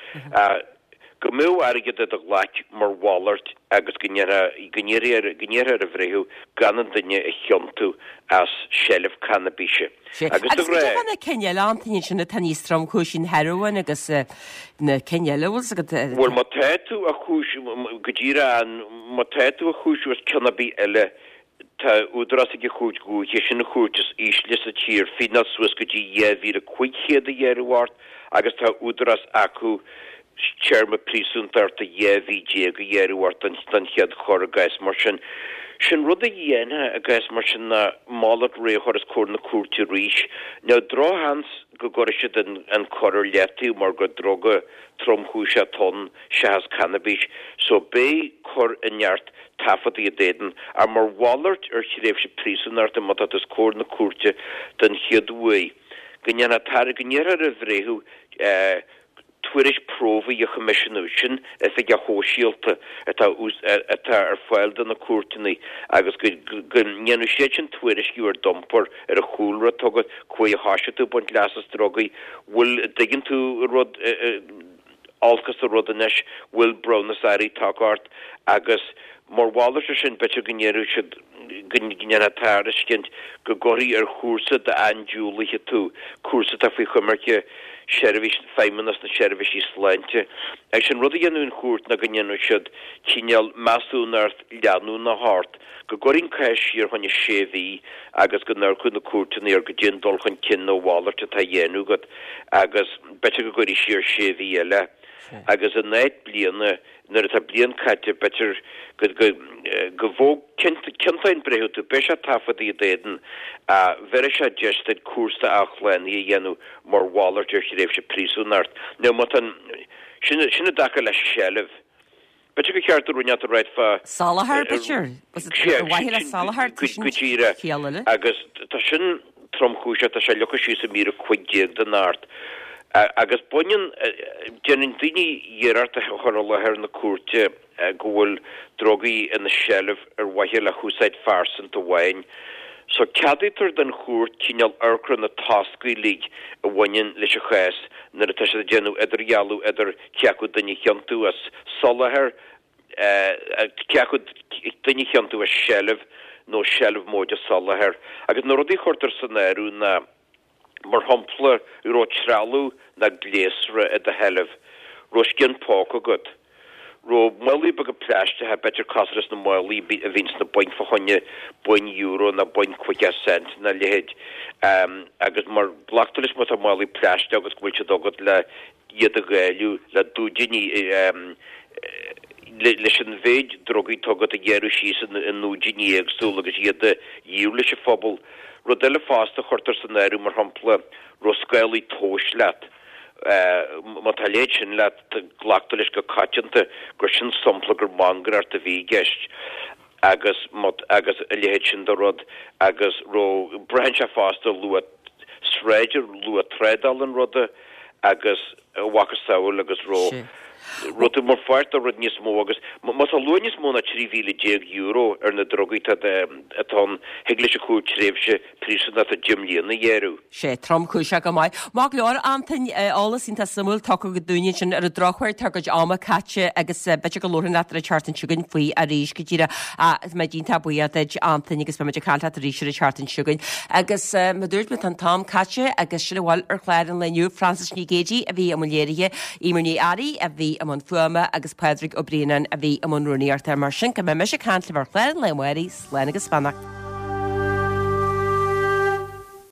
H: go mbeadh airgead i do ghlaic mar mhalairt agus go ndéarfaí ar an bhreitheamh gan an duine a chiontú as seilbh cannabise.
A: Agus de ghnáth. Na cinn eile, Antaine, sin atá níos tromchúisí, an hearóin agus na cinn eile, bhfuil 's agat?
H: Bhuel, má tá tú á chúisiú, go díreach, má tá tú á chúisiú as cion ar bith eile, Tá údarás ag an Chúirt Dhúiche, sin an chúirt is ísle sa tír, fíneáil suas go dtí dhá mhíle cúig chéad a ghearradh ort agus tá údarás acu téarma príosúntachta dhá mhí déag a ghearradh ort don chéad chor i gcás mar sin. Sin rud a dhéanfá i gcás mar sin ná malairt réidh a chur os comhair na cúirte arís. Now drochsheans go gcuirfidh siad an cor ar leataobh mar gur druga tromchúiseach atá ann seachas cannabis so beidh cur i neart taifeadtaí i d'éadan, ach mar mhalairt ar thréimhse príosúnachta má tá tú os comhair na cúirte den chéad uair, go ndéanfá go n-iarrfá ar an bhreitheamh tuairisc promhaidh a choimisiúnú, sin oifigeach shóisialta atá atá ar fáil do na cúirteanna agus go go ndéanfadh siad sin tuairisciú ar d'iompar, ar an chúlra atá agat, cá huair a thoisigh tú ag baint leas as drugaí, bhfuil, dtuigeann tú rud, olc as an rud anois, bhfuil breithiúnas áirithe tagtha ort agus mar mhalairt ar sin b'fhéidir go ndéarfadh siad go ndéanfá tairiscint go gcuirfí ar chúrsa d'andiúlaithe tú, cúrsa atá faoi choimirce seirbhís Feidhmeannas na Seirbhísí Sláinte. Agus an rud a dhéanfadh an chúirt ná go ndéanfadh siad cineál measúnacht leanúnach ort, go gcuirfí an cás siar fá choinne sé mhí agus go n-amharcfadh na cúirteanna ar goidé an dul chun cinn nó a mhalairt atá á dhéanamh agat agus b'fhéidir go gcuirfí siar sé mhí eile. Agus in áit bliana, nuair atá bliain caite, b'fhéidir go, go, go bhfóg, ciontóidh an breitheamh tú, beidh sé taifeadtaí i d'éadan, ach bhéarfaidh sé deis duit cúrsa athshlánaithe a dhéanamh mar mhalairt ar thréimhse príosúnacht. Now má tá an, sin, sin i dtaca le seilbh. B'fhéidir gur cheart do roinnt a ráit fá.
A: Soláthar, b'fhéidir? Ar mhaithe le soláthar, tá sin
H: Go díreach.
A: ciall eile.
H: Agus tá sin tromchúiseach, tá sé leagtha síos i mír a cúig déag den Acht. Agus baineann, déanann daoine iarracht a chur i láthair na cúirte go bhfuil drugaí ina seilbh ar mhaithe le húsáid phearsanta amháin. So ceadaítear don chúirt cineál amharc ar na tosca uilig a bhaineann leis an chás nuair atá siad ag déanamh idirdhealú idir cé acu duine a chiontú as soláthar, cé acu duine a chiontú as seilbh nó seilbh móide soláthar. Agus na rudaí a chuirtear san áireamh ná. Mar shampla, raibh trealamh ná gléasra i do sheilbh, raibh scian póca agat, raibh málaí beaga plaisteacha, b'fhéidir cosúil leis na málaí a bhíonn sna bainc fá choinne boinn euro ná boinn caoga cent ná a leithéid, agus mar glactar leis má tá málaí plaisteach agat go bhfuil siad agat le iad a dháileadh le dúidíní leis an mhéid drugaí atá agat a ghearradh síos i ndúidíní éagsúla agus iad a dhíol leis an phobal. Rud eile fosta a chuirtear san áireamh, mar shampla, raibh scálaí tomhais leat. Má tá a leithéid sin leat, glactar leis go coitianta gur sin sampla gur mangaireacht a bhí i gceist agus agus a leithéid sin de rud agus raibh, braitheann sé fosta luach sráide, luach trádála an ruda agus a mhacasamhail agus raibh raibh tú mar pháirt de rud níos mó agus má tá luach níos mó ná trí mhíle déag euro ar na drugaí atá atá ann, thig leis an chúirt tréimhse príosúnachta deich mbliana a ghearradh.
A: Sé tromchúiseach go maith. Maith go leor, Antain, eolas iontach suimiúil tugtha agat dúinn ansin ar an drochuair tá ár gcuid ama caite agus b'fhéidir go labharfainn leat ar an tseachtain seo chugainn faoi arís go díreach. Tá mé iontach buíoch duit, Antain, agus beidh muid ag caint leat arís ar an tseachtain seo chugainn. Agus mar a dúirt mé tá an t-am caite agus sin a bhfuil ar chlár an lae inniu. Frances Ní Ghéidigh a bhí i mbun léirithe, Eimear Ní Fhearraigh a bhí i mbun fuaime agus Pádraig Ó Braonáin a bhí i mbun rúnaíochta. Mar sin go mbeidh mise ag caint libh ar chlár an lae amárach, slán agus beannacht.